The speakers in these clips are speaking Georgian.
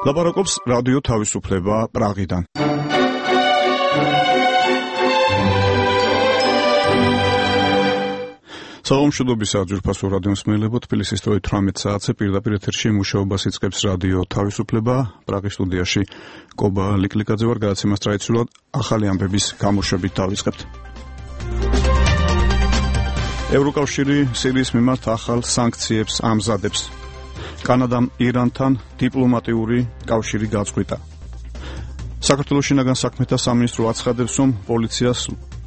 ლაპარაკობს რადიო თავისუფლება პრაღიდან. საომშვიდობისა ძვირფასო რადიო მსმენელებო, თბილისის დროით 18 საათზე პირდაპირ ეთერში მუშაობას იწყებს რადიო თავისუფლება. პრაღის სტუდიაში კობა ლიკლიკაძე ვარ, გადაცემას ტრადიციულად ახალი ამბების გამოშვებით დავიწყებთ. ევროკავშირი სირიის მიმართ ახალ სანქციებს ამზადებს. კანადამ ირანთან დიპლომატიური კავშირი გაწყვიტა. საქართველოს შინაგან საქმეთა სამინისტრო აცხადებს, რომ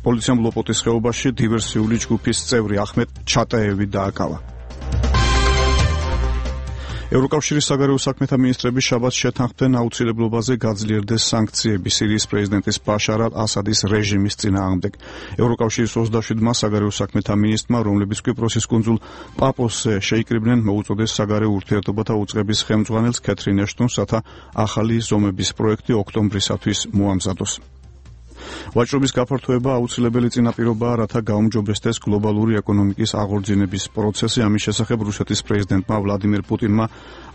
პოლიციამ ლოპოტის ხეობაში დივერსიული ჯგუფის წევრი ახმედ ჩატაევი დააკავა. ევროკავშირის საგარეო საქმეთა მინისტრები შაბათს შეთანხმდნენ აუცილებლობაზე გაძლიერდეს სანქციები სირიის პრეზიდენტის ბაშარ ალ-ასადის რეჟიმის წინააღმდეგ. ევროკავშირის 27-მა საგარეო საქმეთა მინისტრმა, რომლებიც კვიპროსის კუნძულ პაპოსზე შეიკრიბნენ, მოუწოდეს საგარეო ურთიერთობათა უწყების ხელმძღვანელს ქეთრინ ეშტონს, რათა ახალი ზომების პროექტი ოქტომბრისათვის მოამზადოს. ვაჭრობის გაფართოება აუცილებელი წინაპირობაა, რათა გაუმჯობესდეს გლობალური ეკონომიკის აღორძინების პროცესი. ამის შესახებ რუსეთის პრეზიდენტმა ვლადიმერ პუტინმა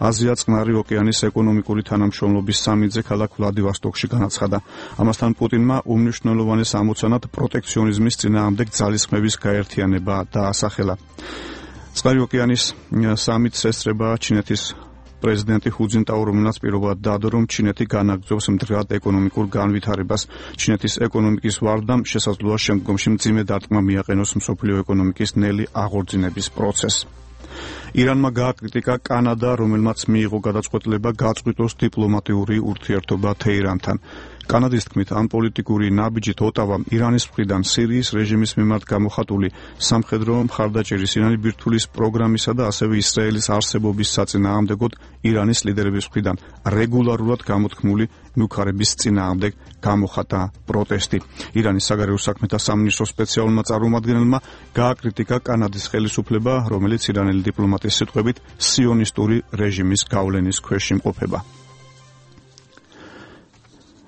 აზია-წყნარი ოკეანის ეკონომიკური თანამშრომლობის სამიტზე ქალაქ ვლადივოსტოკში განაცხადა. ამასთან პუტინმა უმნიშვნელოვანეს ამოცანად პროტექციონიზმის წინააღმდეგ ძალისხმევის გაერთიანება დაასახელა. წყნარი ოკეანის სამიტს ესწრება ჩინეთის პრეზიდენტი ჰუ ძინტაო, რომელმაც პირობად დადო, რომ ჩინეთი განაგრძობს მდგრად ეკონომიკურ განვითარებას. ჩინეთის ეკონომიკის ვარდამ შესაძლოა შემდგომში მძიმე დარტყმა მიაყენოს მსოფლიო ეკონომიკის ნელი აღორძინების პროცესს. ირანმა გააკრიტიკა კანადა, რომელმაც მიიღო გადაწყვეტილება გაწყვიტოს დიპლომატიური ურთიერთობა თეირანთან. კანადის თქმით, ამ პოლიტიკური ნაბიჯით ოტავამ ირანის მხრიდან სირიის რეჟიმის მიმართ გამოხატული სამხედრო მხარდაჭერის, ირანი ბირთვulis პროგრამისა და ასევე ისრაელის არსებობის საწინააღმდეგოდ ირანის ლიდერების მხრიდან რეგულარულად გამოთქმული მუქარების წინააღმდეგ გამოხატა პროტესტი. ირანის საგარეო საქმეთა სამინისტროს სპეციალურმა წარმომადგენელმა გააკრიტიკა კანადის ხელისუფლება, რომელიც ირანელი დიპლომატის სიტყვებით სიონისტური რეჟიმის გავლენის ქვეშ იმყოფება.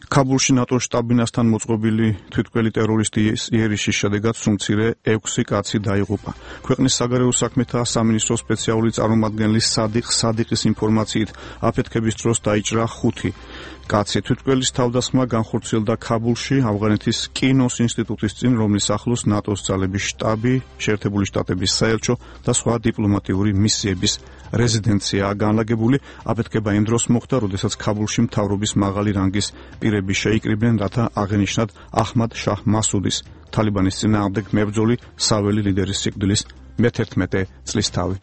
ქაბულში ნატოს შტაბ-ბინასთან მოწყობილი თვითმკვლელი ტერორისტის იერიშის შედეგად სულ მცირე 6 კაცი დაიღუპა. ქვეყნის საგარეო საქმეთა სამინისტროს სპეციალური წარმომადგენლის სადიყის ინფორმაციით, აფეთქების დროს დაიჭრა 5 კაცი. თვითმკვლელის თავდასხმა განხორციელდა ქაბულში, ავღანეთის კინოს ინსტიტუტის წინ, რომლის ახლოს ნატოს ძალების შტაბი, შეერთებული შტატების საელჩო და სხვა დიპლომატიური მისიების რეზიდენციაა განლაგებული. აფეთქება იმ დროს მოხდა, როდესაც ქაბულში მთავრობის მაღალი რანგის პირები შეიკრიბნენ, რათა აღენიშნათ აჰმად შაჰ მასუდის, თალიბანის წინააღმდეგ მებრძოლი საველი ლიდერის სიკვდილის მე-11 წლისთავი.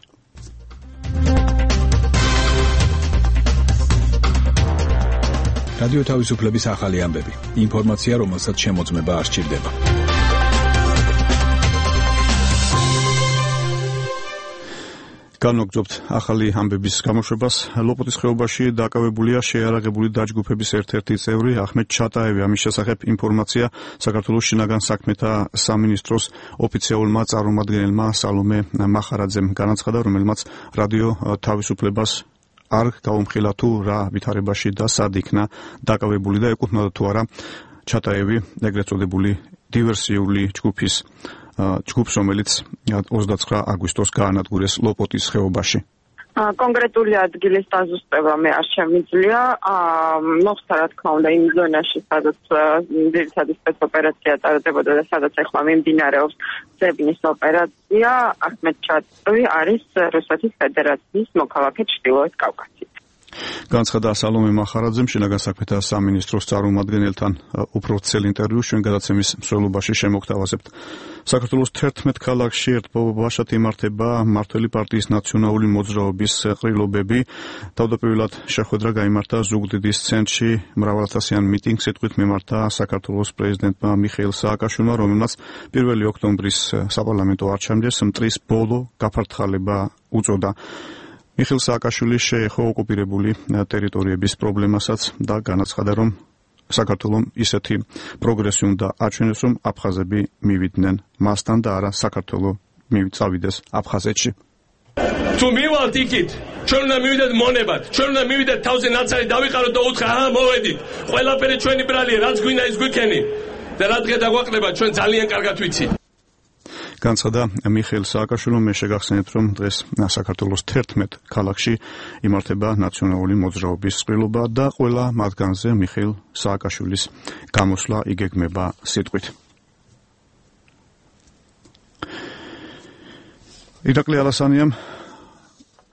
რადიო თავისუფლების ახალი ამბები. ინფორმაცია, რომელსაც შემოწმება არ სჭირდება. განვაგრძობთ ახალი ამბების გამოშვებას. ლოპოტის ხეობაში დაკავებულია შეიარაღებული დაჯგუფების ერთ-ერთი წევრი ახმედ ჩატაევი. ამის შესახებ ინფორმაცია საქართველოს შინაგან საქმეთა სამინისტროს ოფიციალურმა წარმომადგენელმა სალომე მახარაძემ განაცხადა, რომელმაც რადიო თავისუფლებას არ გაუმხილა თუ რა ვითარებაში და სად იქნა დაკავებული და ეკუთვნოდა თუ არა ჩატაევი ეგრეთ წოდებული დივერსიული ჯგუფს, რომელიც 29 აგვისტოს გაანადგურეს ლოპოტის ხეობაში. კონკრეტული ადგილის დაზუსტება მე არ შემიძლია. მოხდა რა თქმა უნდა იმ ზონაში, სადაც ძირითადი სპეცოპერაცია ტარდებოდა და სადაც ახლა მიმდინარეობს ძებნის ოპერაცია. ახმედ ჩატაევი არის რუსეთის ფედერაციის მოქალაქე ჩრდილოეთ კავკასიაში. განაცხადა სალომე მახარაძემ შინაგან საქმეთა სამინისტროს წარმომადგენელთან უფრო ვრცელ ინტერვიუს ჩვენ გადაცემის მსვლელობაში შემოგთავაზებთ. საქართველოს 11 ქალაქში ერთპოვებაშად იმართება მმართველი პარტიის ნაციონალური მოძრაობის ყრილობები. თავდაპირველად შეხვედრა გაიმართა ზუგდიდის ცენტრში, მრავალათასიან მიტინგს სიტყვით მიმართა საქართველოს პრეზიდენტმა მიხეილ სააკაშვილმა, რომელმაც 1 ოქტომბრის საპარლამენტო არჩევნებს მტრის ბოლო გაფართხალება უწოდა. მიხეილ სააკაშვილი შეეხო ოკუპირებული ტერიტორიების პრობლემასაც და განაცხადა, რომ საქართველოს ისეთი პროგრესი უნდა აჩვენოს, რომ აფხაზები მივიდნენ მასთან და არა საქართველოს წავიდეს აფხაზეთში. თუ მივალთ იქით, ჩვენ უნდა მივიდეთ მონებად, ჩვენ უნდა მივიდეთ თავზე ნაცარი დავიყაროთ და უთხრა, მოვედით, ყველაფერი ჩვენი ბრალია, რაც გვინდა ის გვიქენი და რა დღე დაგვაყდება, ჩვენ ძალიან კარგად ვიცით. განცხადა მიხეილ სააკაშვილომ. მე შეგახსენებთ, რომ დღეს საქართველოს 11 ქალაქში იმართება ნაციონალური მოძრაობის წყვილობა და ყველა მათგანზე მიხეილ სააკაშვილის გამოსვლა იგეგმება სიტყვით. ირაკლი ალასანიამ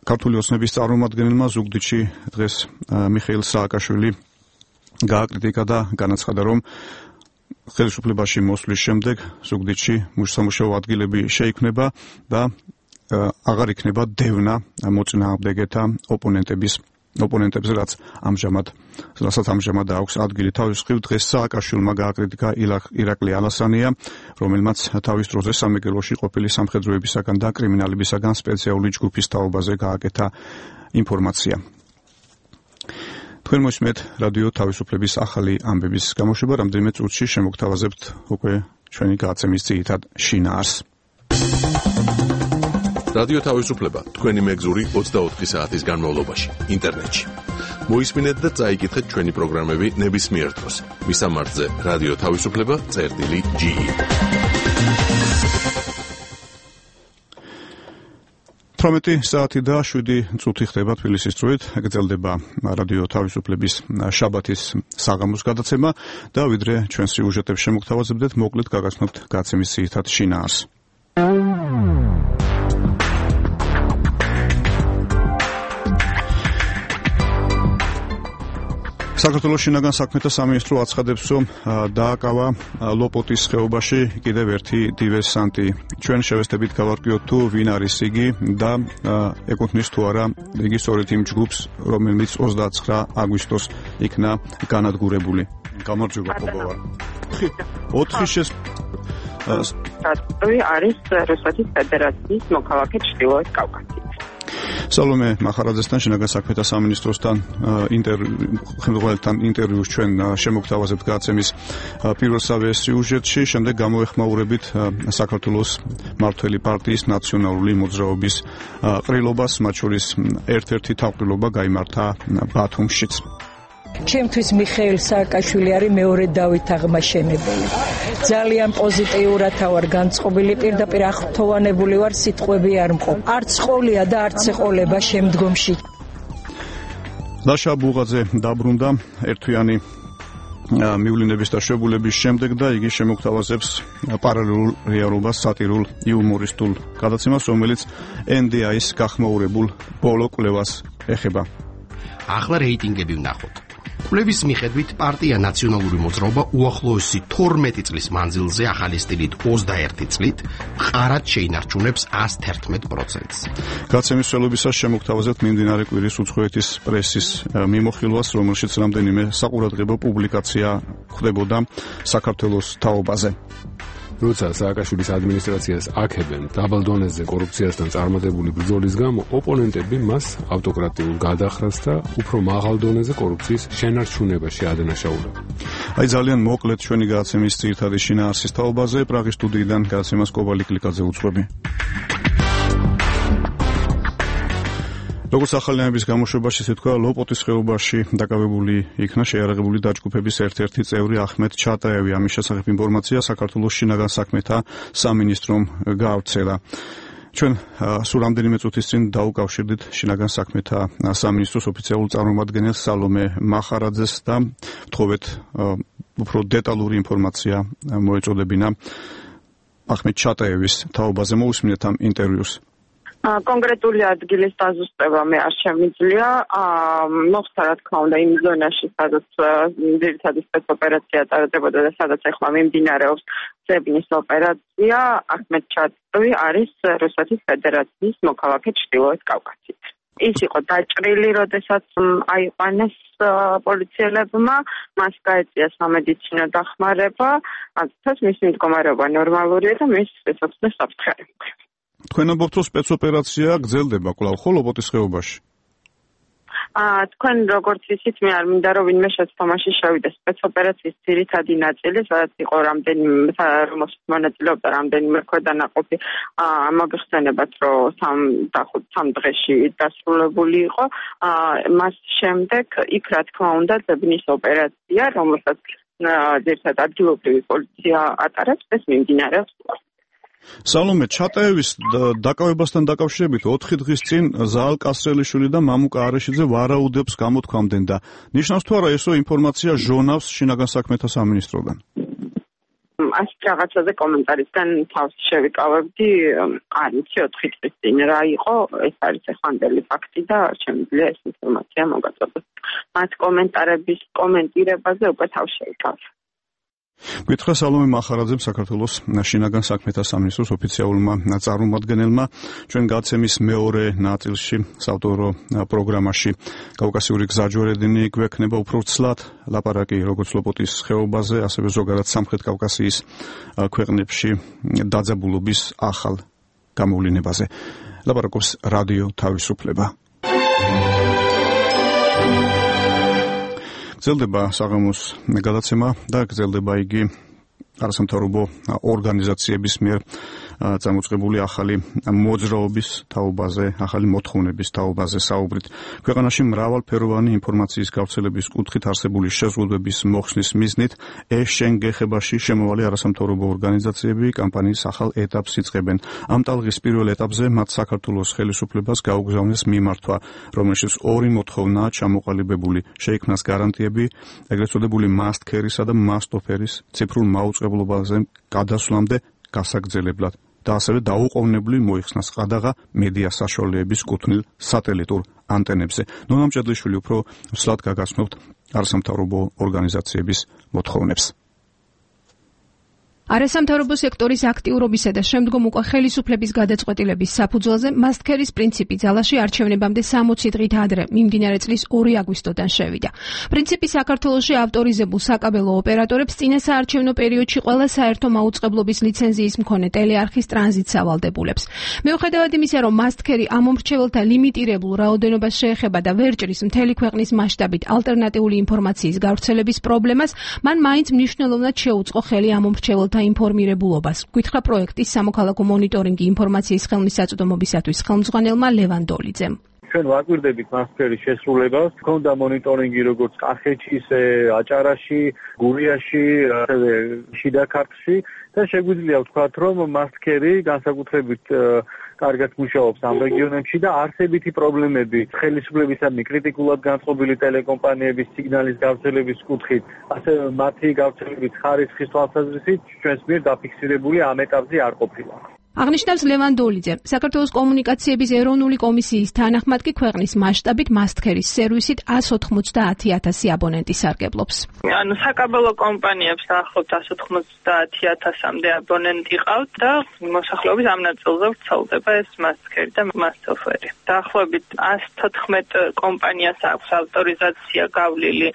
ქართული ოცნების წარმომადგენელმა ზუგდიდში დღეს მიხეილ სააკაშვილი გააკრიტიკა და განაცხადა, რომ ხელისუფლებაში მოსვლის შემდეგ ზუგდიდში სამუშაო ადგილები შეიქმნება და აღარ იქნება დევნა მოწინააღმდეგეთა ოპონენტებს, რასაც ამჟამად აქვს ადგილი. თავის მხრივ დღეს სააკაშვილმა გააკრიტიკა ირაკლი ალასანია, რომელმაც თავის დროზე სამეგრელოში ყოფილი სამხედროებისაგან და კრიმინალებისაგან სპეციალური ჯგუფის თაობაზე გააკეთა ინფორმაცია. თქვენ მოსმენთ რადიო თავისუფლების ახალი ამბების გამოშვება. რამდენიმე წუთში შემოგთავაზებთ უკვე ჩვენი გადაცემის ძირითად შინაარსს. რადიო თავისუფლება თქვენი მეგზური 24 საათის განმავლობაში ინტერნეტში. მოისმინეთ და წაიკითხეთ ჩვენი პროგრამები ნებისმიერ დროს. მისამართზე რადიო თავისუფლება.ge. თორმეტი საათი და 7 წუთი ხდება თბილისის დროით. გრძელდება რადიო თავისუფლების შაბათის საღამოს გადაცემა და ვიდრე ჩვენ სიუჟეტებს შემოგთავაზებდეთ, მოკლედ გაგაცნობთ გადაცემის ძირითად შინაარსს. საქართველოს შინაგან საქმეთა სამინისტრო აცხადებს, რომ დააკავა ლოპოტის ხეობაში კიდევ ერთი დივერსანტი. ჩვენ შევესწრებით გავარკვიოთ თუ ვინ არის იგი და ეკუთვნის თუ არა იგი სწორედ იმ ჯგუფს, რომელიც 29 აგვისტოს იქნა განადგურებული. გამარჯობა ხობავარ. 4 არის რუსეთის ფედერაციის მოქალაქე ჩრდილოეთ კავკასიაში. სალომე მახარაძესთან შინაგან საქმეთა სამინისტროსთან ინტერვიუს ჩვენ შემოგთავაზებთ გადაცემის პირველსავე სიუჟეტში. შემდეგ გამოეხმაურებით საქართველოს მმართველი პარტიის ნაციონალური მოძრაობის ყრილობას, მათ შორის ერთ-ერთი თავყრილობა გაიმართა ბათუმშიც. ჩემთვის მიხეილ სააკაშვილი არის მეორე დავით აღმაშენებელი. ძალიან პოზიტიურად ვარ განწყობილი, პირდაპირ აღფრთოვანებული ვარ, სიტყვები არ მყოფ. არც ყოლია და არც ეყოლება შემდგომში. ლაშა ბუღაძე დაბრუნდა ერთვიანი მივლინების და შვებულების შემდეგ და იგი შემოგთავაზებს პარალელურ რეალობას სატირულ იუმორისტულ გადაცემას, რომელიც NDI-ის გახმაურებულ ბოლო კვლევას ეხება. ახლა რეიტინგები ვნახოთ. კვლევის მიხედვით პარტია ნაციონალური მოძრაობა უახლოესი 12 წლის მანძილზე ახალი სტილით 21 წლით მყარად შეინარჩუნებს 111%-ს. გადაცემის მსვლელობისას შემოგთავაზებთ მიმდინარე კვირის უცხოეთის პრესის მიმოხილვას, რომელშიც რამდენიმე საყურადღებო პუბლიკაცია ხდებოდა საქართველოს თაობაზე. როცა სააკაშვილის ადმინისტრაციას აქებენ დაბალ დონეზე კორუფციასთან წარმატებული ბრძოლის გამო, ოპონენტები მას ავტოკრატიულ გადახრას და უფრო მაღალ დონეზე კორუფციის შენარჩუნებაში ადანაშაულებენ. აი ძალიან მოკლედ ჩვენი გადაცემის ძირითადი შინაარსის თაობაზე პრაღის სტუდიიდან გადაცემას კობალი კლიკაძე უძღვები. როგორც ახალი ამბების გამოშვებაში თქვა, ლოპოტის ხეობაში დაკავებული იქნა შეიარაღებული დაჯგუფების ერთ-ერთი წევრი ახმედ ჩატაევი. ამის შესახებ ინფორმაცია საქართველოს შინაგან საქმეთა სამინისტრომ გაავრცელა. ჩვენ სულ რამდენიმე წუთის წინ დაუკავშირდით შინაგან საქმეთა სამინისტროს ოფიციალურ წარმომადგენელს სალომე მახარაძეს და ვთხოვეთ უფრო დეტალური ინფორმაცია მოეწოდებინა ახმედ ჩატაევის თაობაზე. მოусმინეთ ამ ინტერვიუს. კონკრეტული ადგილის დაზუსტება მე არ შემიძლია. მოხდა რა თქმა უნდა იმ ზონაში, სადაც ძირითადი სპეცოპერაცია ტარდებოდა და სადაც ახლა მიმდინარეობს ზებნის ოპერაცია. ახმედ ჩატაევი არის რუსეთის ფედერაციის მოქალაქე ჩრდილოეთ კავკასიით. ის იყო დაჭრილი, როდესაც აიყვანეს პოლიციელებმა, მას გაეწია სამედიცინო დახმარება, ამიტომ მისი მდგომარეობა ნორმალურია და მის სიცოცხლეს საფრთხეებია. თქვენ ამბობთ, რომ სპეცოპერაცია გრძელდება კვლავ ლოპოტის ხეობაში. თქვენ როგორც ვიცით, მე არ მინდა რომ ვინმე შეცდომაში შევიდეს. სპეცოპერაციის ძირითადი ნაწილი, სადაც იყო რამდენიმე მონაწილეობდა რამდენიმე ქვედანაყოფი, მოგეხსენებათ, რომ 3 დღეში დასრულებული იყო. მას შემდეგ იქ რა თქმა უნდა ზებნის ოპერაცია, რომელსაც ძირითადად ადგილობრივი პოლიცია ატარებს, ეს მიმდინარეობს. სალომე ჩატაევის დაკავებასთან დაკავშირებით 4 დღის წინ ზაალ კასრელიშვილი და მამუკა არეშიძე ვარაუდებს გამოთქვამდნენ და ნიშნავს თუ არა ესო ინფორმაცია ჟონავს შინაგან საქმეთა სამინისტროდან? ასეთ რაღაცაზე კომენტარისგან თავს შევიკავებდი, არ ვიცი 4 დღის წინ რა იყო, ეს არის ეხანდელი ფაქტი და შემიძლია ეს ინფორმაცია მოგაწოდოს. მათ კომენტარების კომენტირებაზე უკვე თავს შევიკავ. გითხრა სალომე მახარაძემ საქართველოს შინაგან საქმეთა სამინისტროს ოფიციალურმა წარმომადგენელმა ჩვენ გაცემის მეორე ნაწილში საავტორო პროგრამაში კავკასიური გზაჯვარედინი გვექნება უფრო ცლად ლაპარაკი როგორც ლოპოტის ხეობაზე, ასევე ზოგადად სამხრეთ კავკასიის ქვეყნებში დაძაბულობის ახალ გამოვლენებაზე. ლაპარაკობს რადიო თავისუფლება. გრძელდება საღამოს გადაცემა და გრძელდება იგი არასამთავრობო ორგანიზაციების მიერ წამოწყებული ახალი მოძრაობის თაობაზე, ახალი მოთხოვნების თაობაზე საუბრით. ქვეყანაში მრავალფეროვანი ინფორმაციის გავრცელების კუთხით არსებული შეზღუდვების მოხსნის მიზნით ეს-შენ გეხებაში შემავალი არასამთავრობო ორგანიზაციები კამპანიის ახალ ეტაპს იწყებენ. ამ ტალღის პირველ ეტაპზე მათ საქართველოს ხელისუფლებას გაუგზავნეს მიმართვა, რომელშიც ორი მოთხოვნაა ჩამოყალიბებული. შეიქმნას გარანტიები ეგრეთ წოდებული მასტქერისა და მასტოფერის ციფრულ მაუწყებლობაზე გადასვლამდე გასაგრძელებლად. და ასევე დაუყოვნებლივ მოიხსნას ყადაღა მედია საშუალებების კუთვნილ სატელიტურ ანტენებზე. ნონა მჭედლიშვილი უფრო სლად გაგაცნობთ არასამთავრობო ორგანიზაციების მოთხოვნებს. არასამთავრობო სექტორის აქტიურობისა და შემდგომ უკვე ხელისუფლების გადაწყვეტილების საფუძველზე მასტქერის პრინციპი ძალაში არჩევნებამდე 60 დღით ადრე მიმდინარე წლის 2 აგვისტოდან შევიდა. პრინციპი საქართველოში ავტორიზებულ საკაბელო ოპერატორებს წინა საარჩევნო პერიოდში ყველა საერთო მაუწყებლობის ლიცენზიის მქონე ტელეარხის ტრანზიტს ავალდებულებს. მიუხედავად იმისა, რომ მასტქერი ამ მომრჩეველთა ლიმიტირებულ რაოდენობას შეეხება და ვერ ჭრის მთელი ქვეყნის მასშტაბით ალტერნატიული ინფორმაციის გავრცელების პრობლემას, მან მაინც მნიშვნელოვნად შეუწყო ხელი ამ მომრჩეველთა ინფორმირებულობას. გითხრა პროექტის სამოქალაქო მონიტორინგი ინფორმაციის ხელმისაწვდომობისათვის ხელმძღვანელმა ლევან დოლიძემ. ჩვენ ვაკვირდებით მასტქერის შესრულებას. ქონდა მონიტორინგი როგორც კახეთში, ისე აჭარაში, გურიაში, ასევე შიდა ქართლში და შეგვიძლია ვთქვათ, რომ მასტქერი განსაკუთრებით კარგად მუშაობს ამ რეგიონებში და არსებითი პრობლემები ხელისუფლებისადმი კრიტიკულად განწყობილი ტელეკომპანიების სიგნალის გავრცელების კუთხით, ასევე მათი გავრცელების ხარისხის თვალსაზრისით ჩვენს მიერ დაფიქსირებული ამ ეტაპზე არ ყოფილა. აღნიშნავს ლევან დოლიძე. საქართველოს კომუნიკაციების ეროვნული კომისიის თანახმად კი ქვეყნის მასშტაბით მასტქერის სერვისით 190,000 აბონენტი სარგებლობს. ანუ საკაბელო კომპანიებს დაახლოებით 190,000-მდე აბონენტი ყავთ და მოსახლეობის ამ ნაწილზე ვრცელდება ეს მასტქერი და მასტოფერი. დაახლოებით 114 კომპანიას აქვს ავტორიზაცია გავლილი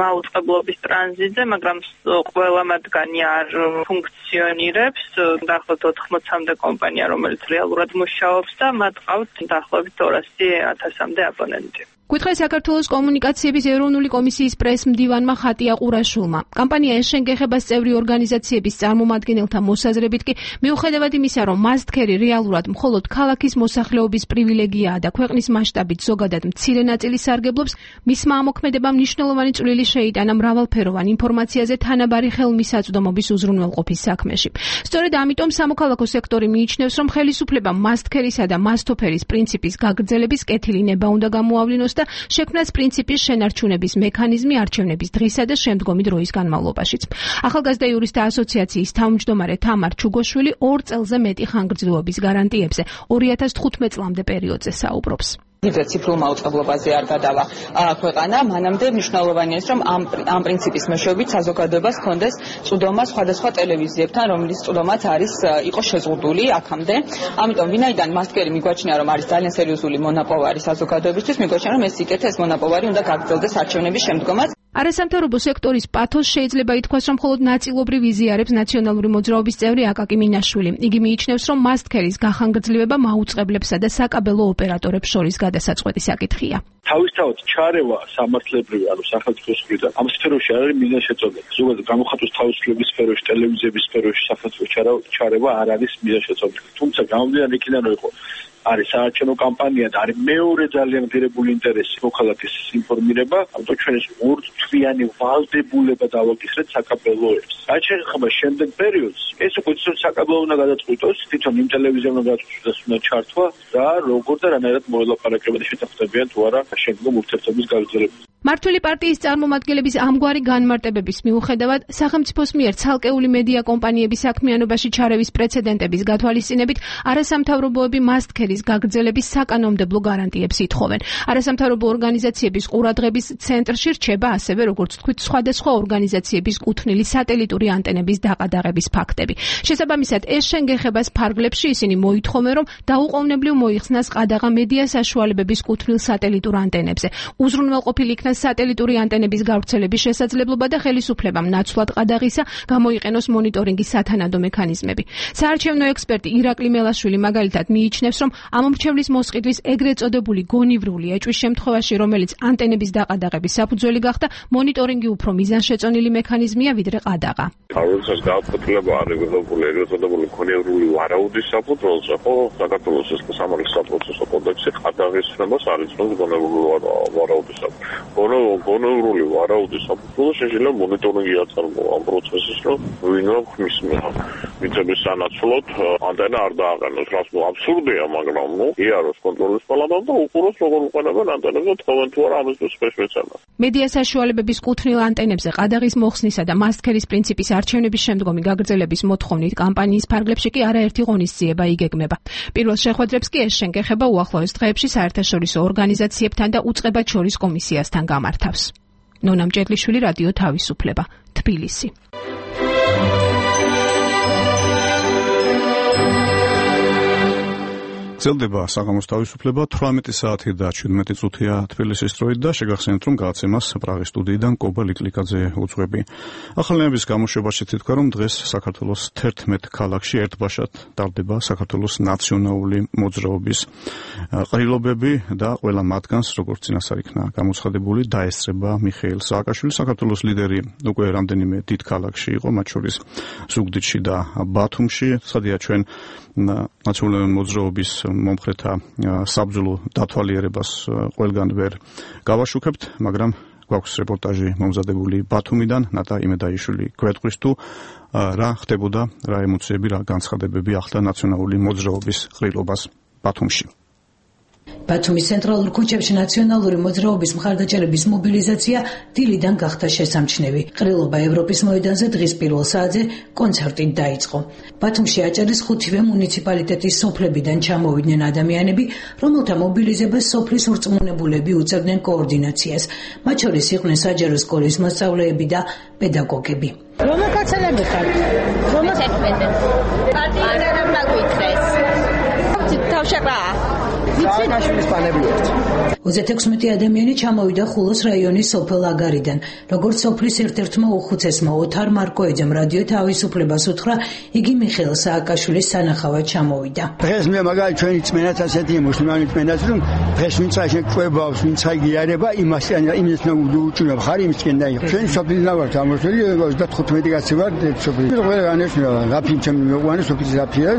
მაუწყებლობის ტრანზიტზე, მაგრამ ყველა მათგანი არ ფუნქციონირებს. დაახლოებით 80-მდე კომპანია, რომელიც რეალურად მუშაობს და მათ ყავთ დაახლოებით 200,000-მდე აბონენტი. გითხრა საქართველოს კომუნიკაციების ეროვნული კომისიის პრეს-მდივანმა ხატია ყურაშვილმა. კამპანია ეს-შენ გეხებას წევრი ორგანიზაციების წარმომადგენელთა მოსაზრებით კი მიუხედავად იმისა, რომ მასტქერი რეალურად მხოლოდ ქალაქის მოსახლეობის პრივილეგიაა და ქვეყნის მასშტაბით ზოგადად მცირე ნაწილი სარგებლობს, მისმა ამოქმედებამ მნიშვნელოვანი წვლილი შეიტანა მრავალფეროვან ინფორმაციაზე თანაბარი ხელმისაწვდომობის უზრუნველყოფის საქმეში. სწორედ ამიტომ სამოქალაქო სექტორი მიიჩნევს, რომ ხელისუფლებამ მასტქერისა და მასტოფერის პრინციპის გაგრძელების კეთილი ნება უნდა გამოავლინოს და შექმნას პრინციპის შენარჩუნების მექანიზმი არჩევნების დღისა და შემდგომი დროის განმავლობაშიც. ახალგაზრდა იურისტთა ასოციაციის თავმჯდომარე თამარ ჩუგოშვილი 2 წელზე მეტი ხანგრძლივობის გარანტიებზე 2015 წლამდე პერიოდზე საუბრობს. ვიდრე ციფრულ მაუწყებლობაზე არ გადავა ქვეყანა, მანამდე მნიშვნელოვანია ის, რომ ამ პრინციპის მეშვეობით საზოგადოებას ჰქონდეს წვდომა სხვადასხვა ტელევიზიებთან, რომლის წვდომაც იყო შეზღუდული აქამდე. ამიტომ ვინაიდან მასტქერი მიგვაჩნია, რომ არის ძალიან სერიოზული მონაპოვარი საზოგადოებისთვის, მიგვაჩნია, რომ ეს სიკეთე, ეს მონაპოვარი უნდა გაგრძელდეს არჩევნების შემდგომაც. არასამთავრობო სექტორის პათოს შეიძლება ითქვას, რომ მხოლოდ ნაწილობრივ იზიარებს ნაციონალური მოძრაობის წევრი აკაკი მინაშვილი. იგი მიიჩნევს, რომ მასტქერის გახანგრძლივება მაუწყებლებსა და საკაბელო ოპერატორებს შორის გადასაწყვეტი საკითხია. თავისთავად ჩარევა სამართლებრივი, ანუ სახელმწიფოს მხრიდან ამ სფეროში არ არის მიზანშეწონილი. ზოგადად გამოხატვის თავისუფლების სფეროში, ტელევიზიების სფეროში სახელმწიფოს ჩარევა არ არის მიზანშეწონილი. თუმცა გამომდინარე იქიდან, რომ იყო არის საარჩევნო კამპანია და არის მეორე ძალიან ღირებული ინტერესი მოქალაქის ინფორმირება, ამიტომ ჩვენ ეს ორთვიანი ვალდებულება დავაკისრეთ საკაბელოებს. რაც შეეხება შემდეგ პერიოდს, ეს უკვე საკაბელო უნდა გადაწყვიტოს, თვითონ იმ ტელევიზია უნდა გადაწყვიტოს, უნდა ჩართვა და როგორ და რანაირად მოელაპარაკებადი შეთანხმდებიან თუ არა შემდგომ ურთიერთობის გაგრძელებას. მართველი პარტიის წარმომადგენლების ამგვარი განმარტებების მიუხედავად, სახელმწიფოს მიერ ცალკეული მედია კომპანიების საქმიანობაში ჩარევის პრეცედენტების გათვალისწინებით, არასამთავრობოები მასტქერის გაგრძელების საკანონმდებლო გარანტიებს ითხოვენ. არასამთავრობო ორგანიზაციების ყურადღების ცენტრში რჩება ასევე, როგორც თქვით, სხვადასხვა ორგანიზაციების კუთვნილი სატელიტური ანტენების დაყადაღების ფაქტები. შესაბამისად, ეს შენგეხებას ფარგლებში ისინი მოითხოვენ, რომ დაუყოვნებლივ მოიხსნას ყადაღა მედია საშუალებების კუთვნილ სატელიტურ ანტენებზე. უზრუნველყოფილი იქნა სატელიტური ანტენების გავრცელების შესაძლებლობა და ხელისუფლებამ ნაცვლად ყადაღისა გამოიყენოს მონიტორინგის სათანადო მექანიზმები. საარჩევნო ექსპერტი ირაკლი მელაშვილი მაგალითად მიიჩნევს, რომ ამომრჩევლის მოსყიდვის ეგრეთ წოდებული გონივრული ეჭვის შემთხვევაში, რომელიც ანტენების დაყადაღების საფუძველი გახდა, მონიტორინგი უფრო მიზანშეწონილი მექანიზმია ვიდრე ყადაღა. როდესაც გააფეთილება არეგულირებული ეგრეთ წოდებული გონივრული ვარაუდის საფუძველზე, ხო, საქართველოს სამართლის საპროცესო კოდექსი ყადაღის ცნობას არ იცნობს გონივრული ვარაუდის გონივრული ვარაუდის საფუძველზე შეიძლება მონიტორინგი აწარმოა ამ პროცესის, რომ ვინმე ხმის მიწების სანაცვლოდ ანტენა არ დააყენოს, რაც აბსურდია, მაგრამ იაროს კონტროლის პალატამ და უყუროს როგორ უყენებენ ანტენებს და თხოვენ თუ არა ამის სპეციფიკაციას. მედია საშუალებების კუთვნილ ანტენებზე ყადაღის მოხსნისა და მასტქერის პრინციპის არჩევნების შემდგომი გაგრძელების მოთხოვნით კამპანიის ფარგლებში კი არაერთი ღონისძიება იგეგმება. პირველ შეხვედრებს კი ეს შენგეხება უახლოეს დღეებში საერთაშორისო ორგანიზაციებთან და უწყებად შორის კომისიასთან გამართავს. ნონა მჭედლიშვილი, რადიო თავისუფლება, თბილისი. გრძელდება საღამოს თავისუფლება 18 საათი და 17 წუთია თბილისის დროით და შეგახსენებთ, რომ გადაცემას პრაღის სტუდიიდან კობა ლიკლიკაძე უძღვები. ახალნეების გამოშვებაში თითქვა, რომ დღეს საქართველოს 11 ქალაქში ერთბაშად ტარდება საქართველოს ნაციონალური მოძრაობის ყრილობები და ყველა მათგანს, როგორც წინასწარ იქნა გამოცხადებული, დაესწრება მიხეილ სააკაშვილი. საქართველოს ლიდერი უკვე რამდენიმე დიდ ქალაქში იყო, მათ შორის ზუგდიდში და ბათუმში. სადია ჩვენ ნაციონალური მოძრაობის მომხრეთა საბრძოლო დათვალიერებას ყველგან ვერ გავაშუქებთ, მაგრამ გვაქვს რეპორტაჟი მომზადებული ბათუმიდან. ნატა იმედაიშვილი გვეტყვის თუ რა ხდებოდა, რა ემოციები, რა განცხადებები ახლდა ნაციონალური მოძრაობის ყრილობას ბათუმში. ბათუმის ცენტრალურ ქუჩებში ნაციონალური მოძრაობის მხარდაჭერების მობილიზაცია დილიდან გახდა შესამჩნევი. ყრილობა ევროპის მოედანზე დღის პირველ საათზე კონცერტით დაიწყო. ბათუმში აჭარის 5-ვე მუნიციპალიტეტის სოფლებიდან ჩამოვიდნენ ადამიანები, რომელთა მობილიზებას სოფლის ურწმუნებულები უწევდნენ კოორდინაციას. მათ შორის იყვნენ საჯარო სკოლის მოსწავლეები და პედაგოგები. რომელ კაცელები ხართ? რომელ ეთმენდეთ? პარტია არ მაგვითეს. თავშეყრა 36 ადამიანი ჩამოვიდა ხულოს რაიონის სოფელ აგარიდან. როგორც სოფლის ერთ-ერთმა უხუცესმა ოთარ მარკოიძემ რადიო თავისუფლებას უთხრა, იგი მიხეილ სააკაშვილის სანახავად ჩამოვიდა. დღეს მე მაგალითად ჩვენი წმენაც ასეთი მუსლიმანი წმენაც, რომ დღეს ვინც ყვებავს, ვინც აიგიარება, იმას უჭირებ ხარ იმისკენ დაიხო. ჩვენ სოფლიდან ვართ ამოსული 35 კაცი ვარ სოფლიდან. ყველა განეშნევა, რაფი ჩემი მეყვანი სოფლის რაფია,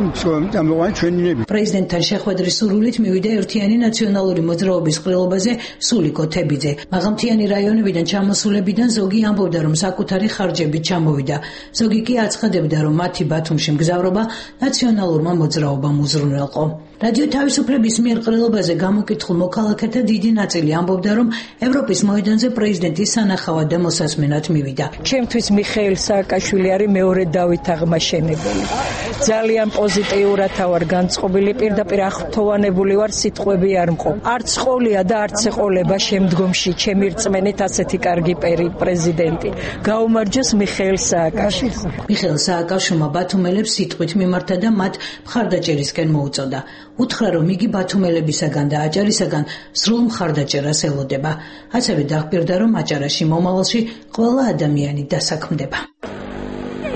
ამოყვანი ჩვენინები. პრეზიდენტთან შეხვედრის სურვილით მივიდა ერთიანი ნაციონალური მოძრაობის ყრილობაზე სულიკო თებიძე. მაღალმთიანი რაიონებიდან ჩამოსულებიდან ზოგი ამბობდა, რომ საკუთარი ხარჯებით ჩამოვიდა. ზოგი კი აცხადებდა, რომ მათი ბათუმში მგზავრობა ნაციონალურმა მოძრაობამ უზრუნველყო. რადიო თავისუფლების მიერ ყრილობაზე გამოკითხულ მოქალაქეთა დიდი ნაწილი ამბობდა, რომ ევროპის მოედანზე პრეზიდენტის სანახავად და მოსასმენად მივიდა. ჩემთვის მიხეილ სააკაშვილი არის მეორე დავით აღმაშენებელი. ძალიან პოზიტიურად ვარ განწყობილი, პირდაპირ აღფრთოვანებული ვარ, სიტყვები არ მყო. არც ყოლია და არც ეყოლება შემდგომში ჩემი რწმენით ასეთი კარგი პრეზიდენტი. გაუმარჯოს მიხეილ სააკაშვილს. მიხეილ სააკაშვილმა ბათუმელებს სიტყვით მიმართა და მათ მხარდაჭერისკენ მოუწოდა. უთხრა, რომ იგი ბათუმელებისაგან და აჭარისაგან სრულ მხარდაჭერას ელოდება. ასევე დახპირდა, რომ აჭარაში მომავალში ყველა ადამიანი დასაქმდება.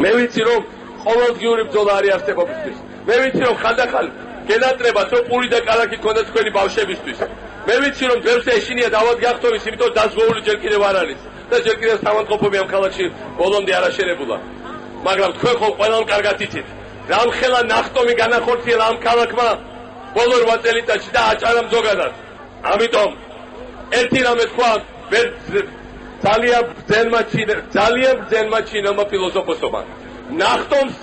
მე ვიცი, რომ ყოველდღიური ბრძოლა არის არსებობისთვის. მე ვიცი, რომ ხანდახან გენატრება სოფური და კალათი ქონდა თქვენი ბავშვებისთვის. მე ვიცი, რომ ბევრს ეშინია დავად გახტოვის, იმიტომ დაზღვეული ჯერ კიდევ არ არის და ჯერ კიდევ სამანყოფობი ამ ქალაქში ბოლომდე არ აშენებულა. მაგრამ თქვენ ხომ ყველამ კარგად იცით, რამხელა ნახტომი განახორციელა ამ ქალაქმა ბოლო 8 წელიწადში და აჭარამ ზოგადად. ამიტომ ერთი რამე თქვა, ძალიან ბრძენმა ჩინელმა ფილოსოფოსმა. ნახტომს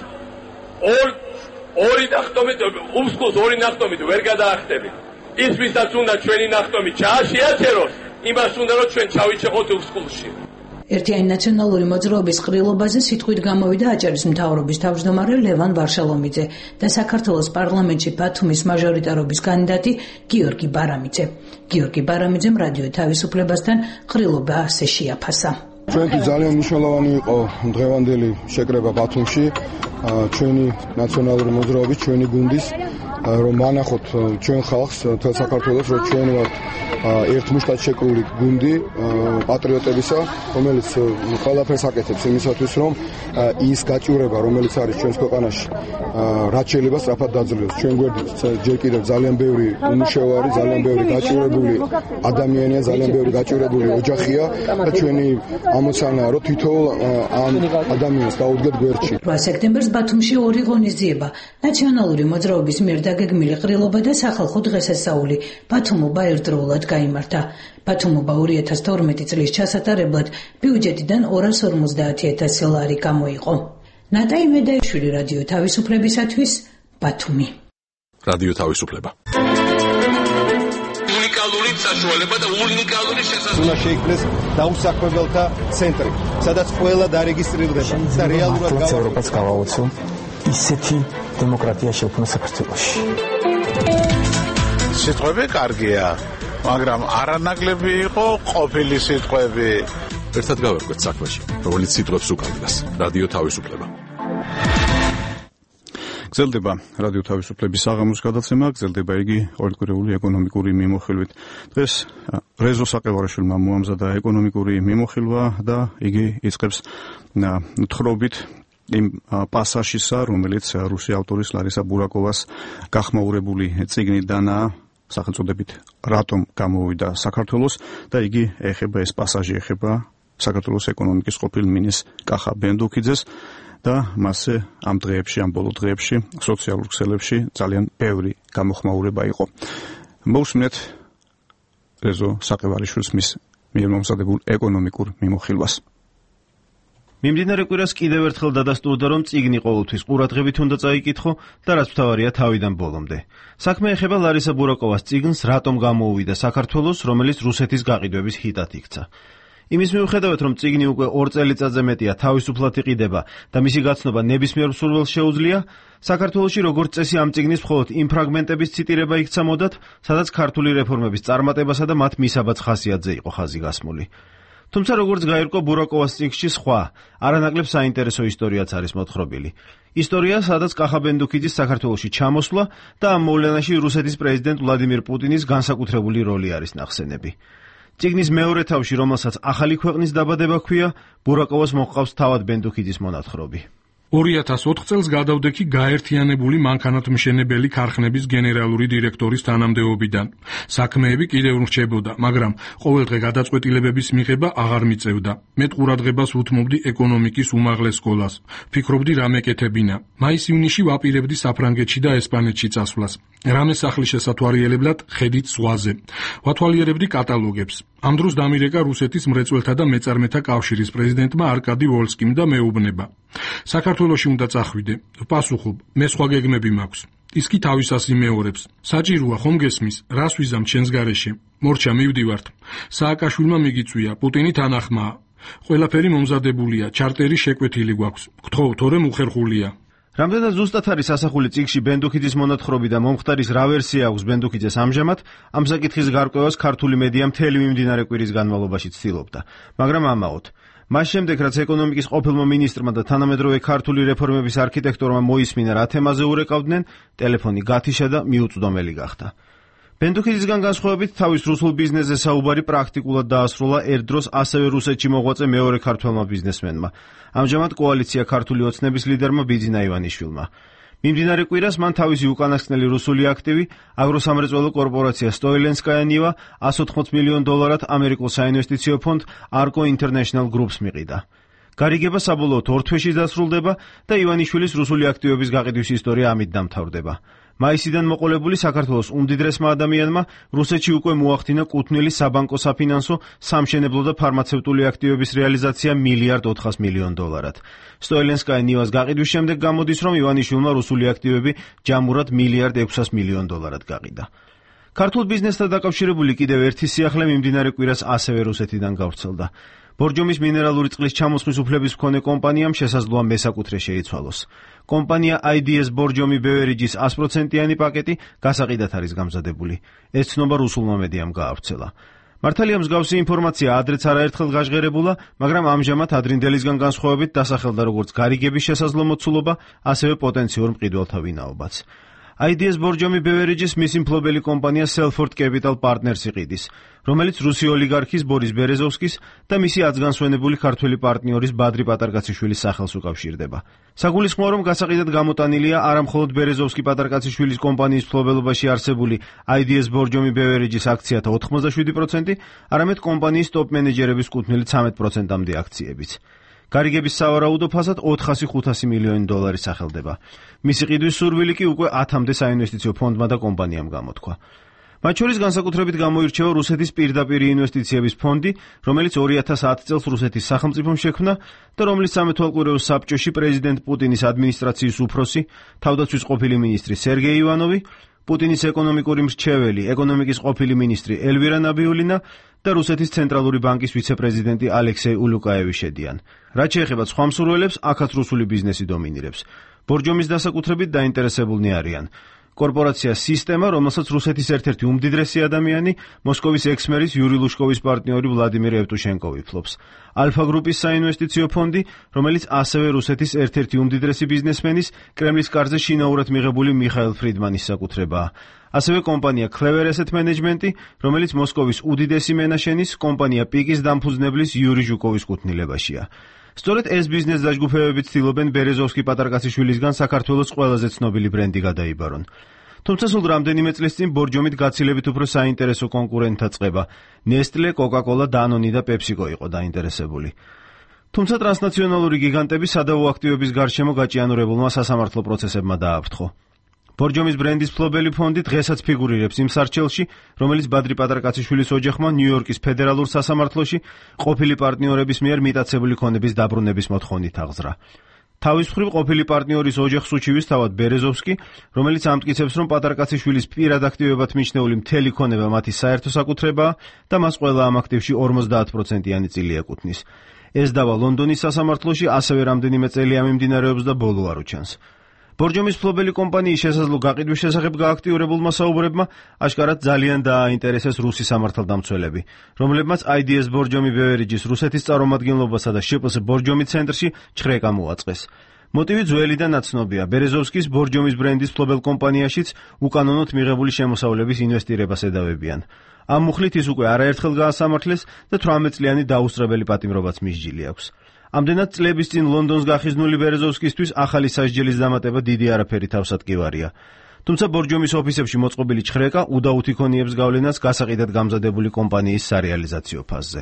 ორი ნახტომით, უსკულს ორი ნახტომით ვერ გადაახტები. ის ვისაც უნდა ჩვენი ნახტომი შეაჩეროს, იმას უნდა რომ ჩვენ ჩავიჩეხოთ უსკულში. ერთიანი ნაციონალური მოძრაობის ყრილობაზე სიტყვით გამოვიდა აჭარის მთავრობის თავმჯდომარე ლევან ვარშალომიძე და საქართველოს პარლამენტში ბათუმის მაჟორიტარობის კანდიდატი გიორგი ბარამიძე. გიორგი ბარამიძემ რადიო თავისუფლებასთან ყრილობა ასე შეაფასა. ჩვენთვის ძალიან მნიშვნელოვანი იყო დღევანდელი შეკრება ბათუმში, ჩვენი ნაციონალური მოძრაობის, ჩვენი გუნდის, რომ მანახოთ ჩვენ ხალხს, თელ საქართველოს, რომ ჩვენ ვართ ერთ მუშტად შეკრული გუნდი პატრიოტებისა, რომელიც ყველაფერს აკეთებს იმისათვის, რომ ის გაჭირება, რომელიც არის ჩვენს ქვეყანაში, რაც შეიძლება სწრაფად დაძლევს. ჩვენ გვერდით ჯერ კიდევ ძალიან ბევრი უმუშევარი, ძალიან ბევრი გაჭირებული ადამიანია, ძალიან ბევრი გაჭირებული ოჯახია და ჩვენი ამოცანაა, რომ თითოეულ ამ ადამიანს დაუდგეთ გვერდში. 8 სექტემბერს ბათუმში ორი ღონისძიება, ნაციონალური მოძრაობის მიერ დაგეგმილი ყრილობა და სახალხო დღესასწაული ბათუმობა ერთდროულად გაიმართა. ბათუმობა 2012 წლის ჩასატარებლად ბიუჯეტიდან 250,000 ლარი გამოიყო. ნატა იმედაიშვილი, რადიო თავისუფლებისათვის, ბათუმი. რადიო თავისუფლება. უნიკალური საშუალება და უნიკალური შესაძლებლობა. უნდა შეიქმნეს დაუსაქმებელთა ცენტრი, სადაც ყველა დარეგისტრირდება და რეალურად ევროპას გავაოცო ისეთი დემოკრატია შექმნა საქართველოში. სიტყვები კარგია, მაგრამ არანაკლები იყო ყოფილი სიტყვები. ერთად გავერკვეთ საქმეში, რომელიც სიტყვებს უკავშირდება. რადიო თავისუფლება. გრძელდება რადიო თავისუფლების საღამოს გადაცემა, გრძელდება იგი ყოველკვირეული ეკონომიკური მიმოხილვით. დღეს რეზო საყევარაშვილმა მოამზადა ეკონომიკური მიმოხილვა და იგი იწყებს თხრობით იმ პასაჟისა, რომელიც რუსი ავტორის ლარისა ბურაკოვას გახმაურებული წიგნიდანაა, სახელწოდებით რატომ გამოვიდა საქართველოს და იგი ეხება, ეს პასაჟი ეხება საქართველოს ეკონომიკის ყოფილ მინისტრს კახა ბენდუქიძეს და მასზე ამ დღეებში, ამ ბოლო დღეებში სოციალურ ქსელებში ძალიან ბევრი გამოხმაურება იყო. მოусმინეთ რეზო საყევარიშვილის მის მიერ მომზადებულ ეკონომიკურ მიმოხილვას. მიმდინარე კვირას კიდევ ერთხელ დადასტურდა, რომ წიგნი ყოველთვის ყურადღებით უნდა წაიკითხო და რაც მთავარია თავიდან ბოლომდე. საქმე ეხება ლარისა ბურაკოვას წიგნს რატომ გამოუვიდა საქართველოს, რომელიც რუსეთის გაყიდვების ჰიტად იქცა. იმის მიუხედავად, რომ წიგნი უკვე 2 წელიწადზე მეტია თავისუფლად იყიდება და მისი გაცნობა ნებისმიერ მსურველს შეუძლია, საქართველოში როგორც წესი ამ წიგნის მხოლოდ იმ ფრაგმენტების ციტირება იქცა მოდად, სადაც ქართული რეფორმების წარმატებასა და მათ მისაბაძ ხასიათზე იყო ხაზი გასმული. თუმცა როგორც გაირკვა ბურაკოვას წიგნში სხვა, არანაკლებ საინტერესო ისტორიაც არის მოთხრობილი. ისტორია, სადაც კახა ბენდუქიძის საქართველოში ჩამოსვლა და ამ მოვლენაში რუსეთის პრეზიდენტ ვლადიმირ პუტინის განსაკუთრებული როლი არის ნახსენები. წიგნის მეორე თავში, რომელსაც ახალი ქვეყნის დაბადება ჰქვია, ბურაკოვას მოჰყავს თავად ბენდუქიძის მონათხრობი. 2004 წელს გადავდექი გაერთიანებული მანქანათმშენებელი ქარხნების გენერალური დირექტორის თანამდებობიდან. საქმეები კიდევ რჩებოდა, მაგრამ ყოველდღე გადაწყვეტილებების მიღება აღარ მიწევდა. მე ყურადღებას უთმობდი ეკონომიკის უმაღლეს სკოლას. ფიქრობდი რა მეკეთებინა. მაის-ივნისში ვაპირებდი საფრანგეთში და ესპანეთში წასვლას. რამე სახლის შესათვალიერებლად ხედით ზღვაზე. ვათვალიერებდი კატალოგებს. ამ დროს დამირეკა რუსეთის მრეწველთა და მეწარმეთა კავშირის პრეზიდენტმა არკადი ვოლსკიმ და მეუბნება. საქართველოში უნდა წახვიდე. ვპასუხობ, მე სხვა გეგმები მაქვს. ის კი თავისას იმეორებს. საჭიროა ხომ გესმის, რას ვიზამ ჩვენს გარეშე? მორჩა მივდივართ. სააკაშვილმა მიგიწვია, პუტინი თანახმაა. ყველაფერი მომზადებულია, ჩარტერი შეკვეთილი გვაქვს. გთხოვ, თორემ უხერხულია. რამდენად ზუსტად არის ასახული წიგნში ბენდუქიძის მონათხრობი და მომხდარის რა ვერსია აქვს ბენდუქიძეს ამჟამად, ამ საკითხის გარკვევას ქართული მედია მთელი მიმდინარე კვირის განმავლობაში ცდილობდა, მაგრამ ამაოდ. მას შემდეგ, რაც ეკონომიკის ყოფილმა მინისტრმა და თანამედროვე ქართული რეფორმების არქიტექტორმა მოისმინა რა თემაზე ურეკავდნენ, ტელეფონი გათიშა და მიუწვდომელი გახდა. ბენდუქიძისგან განსხვავებით, თავის რუსულ ბიზნესზე საუბარი პრაქტიკულად დაასრულა ერთდროს ასევე რუსეთში მოღვაწე მეორე ქართველმა ბიზნესმენმა. ამჟამად კოალიცია ქართული ოცნების ლიდერმა ბიძინა ივანიშვილმა. მიმდინარე კვირას მან თავისი უკანასკნელი რუსული აქტივი აგროსამრეწველო კორპორაცია სტოილენსკაია ნივა $180 მილიონ ამერიკულ საინვესტიციო ფონდ Arco International Groups მიყიდა. გარიგება საბოლოოდ 2 თვეში დასრულდება და ივანიშვილის რუსული აქტივების გაყიდვის ისტორია ამით დამთავრდება. მაისიდან მოყოლებული საქართველოს უმდიდრესმა ადამიანმა რუსეთში უკვე მოახდინა კუთვნილი საბანკო საფინანსო, სამშენებლო და ფარმაცევტული აქტივების რეალიზაცია $1.4 მილიარდ. სტოელენსკაი ნივას გაყიდვის შემდეგ გამოდის, რომ ივანიშვილმა რუსული აქტივები ჯამურად $1.6 მილიარდ გაყიდა. ქართულ ბიზნესთან დაკავშირებული კიდევ ერთი სიახლე მიმდინარე კვირას ასევე რუსეთიდან გავრცელდა. ბორჯომის მინერალური წყლის ჩამოსხმის უფლების მქონე კომპანიამ შესაძლოა მესაკუთრე შეიცვალოს. კომპანია IDS ბორჯომი ბევერიჯის 100%-იანი პაკეტი გასაყიდად არის გამზადებული. ეს ცნობა რუსულმა მედიამ გაავრცელა. მართალია მსგავსი ინფორმაცია ადრეც არაერთხელ გაჟღერებულა, მაგრამ ამჟამად ადრინდელისგან განსხვავებით დასახელდა როგორც გარიგების შესაძლო მოცულობა, ასევე პოტენციურ მყიდველთა ვინაობაც. IDS ბორჯომი ბევერიჯის მისი მფლობელი კომპანია Selford Capital Partners იყიდის, რომელიც რუსი ოლიგარქის ბორის ბერეზოვსკის და მისი აცგანსვენებული ქართველი პარტნიორის ბადრი პატარკაციშვილის სახელს უკავშირდება. საგულისხმოა, რომ გასაყიდად გამოტანილია არამხოლოდ ბერეზოვსკი პატარკაციშვილის კომპანიის მფლობელობაში არსებული IDS ბორჯომი ბევერიჯის აქციათა 87%, არამედ კომპანიის ტოპ მენეჯერების კუთვნილი 13%-მდე აქციებიც. გარიგების სავარაუდო ფასად $400-500 მილიონი სახელდება. მისი ყიდვის სურვილი კი უკვე 10-მდე საინვესტიციო ფონდმა და კომპანიამ გამოთქვა. მათ შორის განსაკუთრებით გამოირჩევა რუსეთის პირდაპირი ინვესტიციების ფონდი, რომელიც 2010 წელს რუსეთის სახელმწიფომ შექმნა და რომლის სამეთვალყურეო საბჭოში პრეზიდენტ პუტინის ადმინისტრაციის უფროსი, თავდაცვის ყოფილი მინისტრი სერგეი ივანოვი, პუტინის ეკონომიკური მრჩეველი, ეკონომიკის ყოფილი მინისტრი ელვირა ნაბიულინა და რუსეთის ცენტრალური ბანკის ვიცე-პრეზიდენტი ალექსეი ულუკაევი შედიან. რაც შეეხება სხვა მსურველებს, აქაც რუსული ბიზნესი დომინირებს. ბორჯომის დასაკუთრებით დაინტერესებულნი არიან კორპორაცია სისტემა, რომელსაც რუსეთის ერთ-ერთი უმდიდრესი ადამიანი, მოსკოვის ექს-მერის იური ლუშკოვის პარტნიორი ვლადიმირ ევტუშენკოვი ფლობს. ალფა გრუპის საინვესტიციო ფონდი, რომელიც ასევე რუსეთის ერთ-ერთი უმდიდრესი ბიზნესმენის, კრემლის კარზე შინაურად მიღებული მიხაილ ფრიდმანის საკუთრებაა. ასევე კომპანია Clever Asset Management, რომელიც მოსკოვის უდიდესი მენაშენის, კომპანია პიკის დამფუძნებლის იური ჟუკოვის კუთვნილებაშია. სწორედ ეს ბიზნეს დაჯგუფებები ცდილობენ ბერეზოვსკი პატარკაციშვილისგან საქართველოს ყველაზე ცნობილი ბრენდი გადაიბარონ. თუმცა სულ რამდენიმე წლის წინ ბორჯომით გაცილებით უფრო საინტერესო კონკურენტთა წყება. Nestle, Coca-Cola, Danone და PepsiCo იყო დაინტერესებული. თუმცა ტრანსნაციონალური გიგანტები სადავო აქტივების გარშემო გაჭიანურებულმა სასამართლო პროცესებმა დააფრთხო. ბორჯომის ბრენდის მფლობელი ფონდი დღესაც ფიგურირებს იმ სარჩელში, რომელიც ბადრი პატარკაციშვილის ოჯახმა ნიუ-იორკის ფედერალურ სასამართლოში ყოფილი პარტნიორების მიერ მიტაცებული ქონების დაბრუნების მოთხოვნით აღზრა. თავის მხრივ ყოფილი პარტნიორის ოჯახს უჩივის თავად ბერეზოვსკი, რომელიც ამტკიცებს, რომ პატარკაციშვილის პირად აქტივებად მიჩნეული მთელი ქონება მათი საერთო საკუთრებაა და მას ყველა ამ აქტივში 50%-იანი წილი ეკუთვნის. ეს დავა ლონდონის სასამართლოში ასევე რამდენიმე წელია მიმდინარეობს და ბოლო არ უჩანს. ბორჯომის მფლობელი კომპანიის შესაძლო გაყიდვის შესახებ გააქტიურებულმა საუბრებმა აშკარად ძალიან დააინტერესეს რუსი სამართალდამცველები, რომლებმაც IDS ბორჯომი ბევერიჯის რუსეთის წარმომადგენლობასა და შპს ბორჯომი ცენტრში ჩხრეკა მოაწყეს. მოტივი ძველი და ნაცნობია. ბერეზოვსკის ბორჯომის ბრენდის მფლობელ კომპანიაშიც უკანონოდ მიღებული შემოსავლების ინვესტირებას ედავებიან. ამ მუხლით ის უკვე არაერთხელ გაასამართლეს და 18 წლიანი დაუსწრებელი პატიმრობაც მისჯილი აქვს. ამდენად წლების წინ ლონდონს გახიზნული ბერეზოვსკისთვის ახალი სასჯელის დამატება დიდი არაფერი თავსატკივარია. თუმცა ბორჯომის ოფისებში მოწყობილი ჩხრეკა უდაუთ იქონიებს გავლენას გასაყიდად გამზადებული კომპანიის სარეალიზაციო ფაზზე.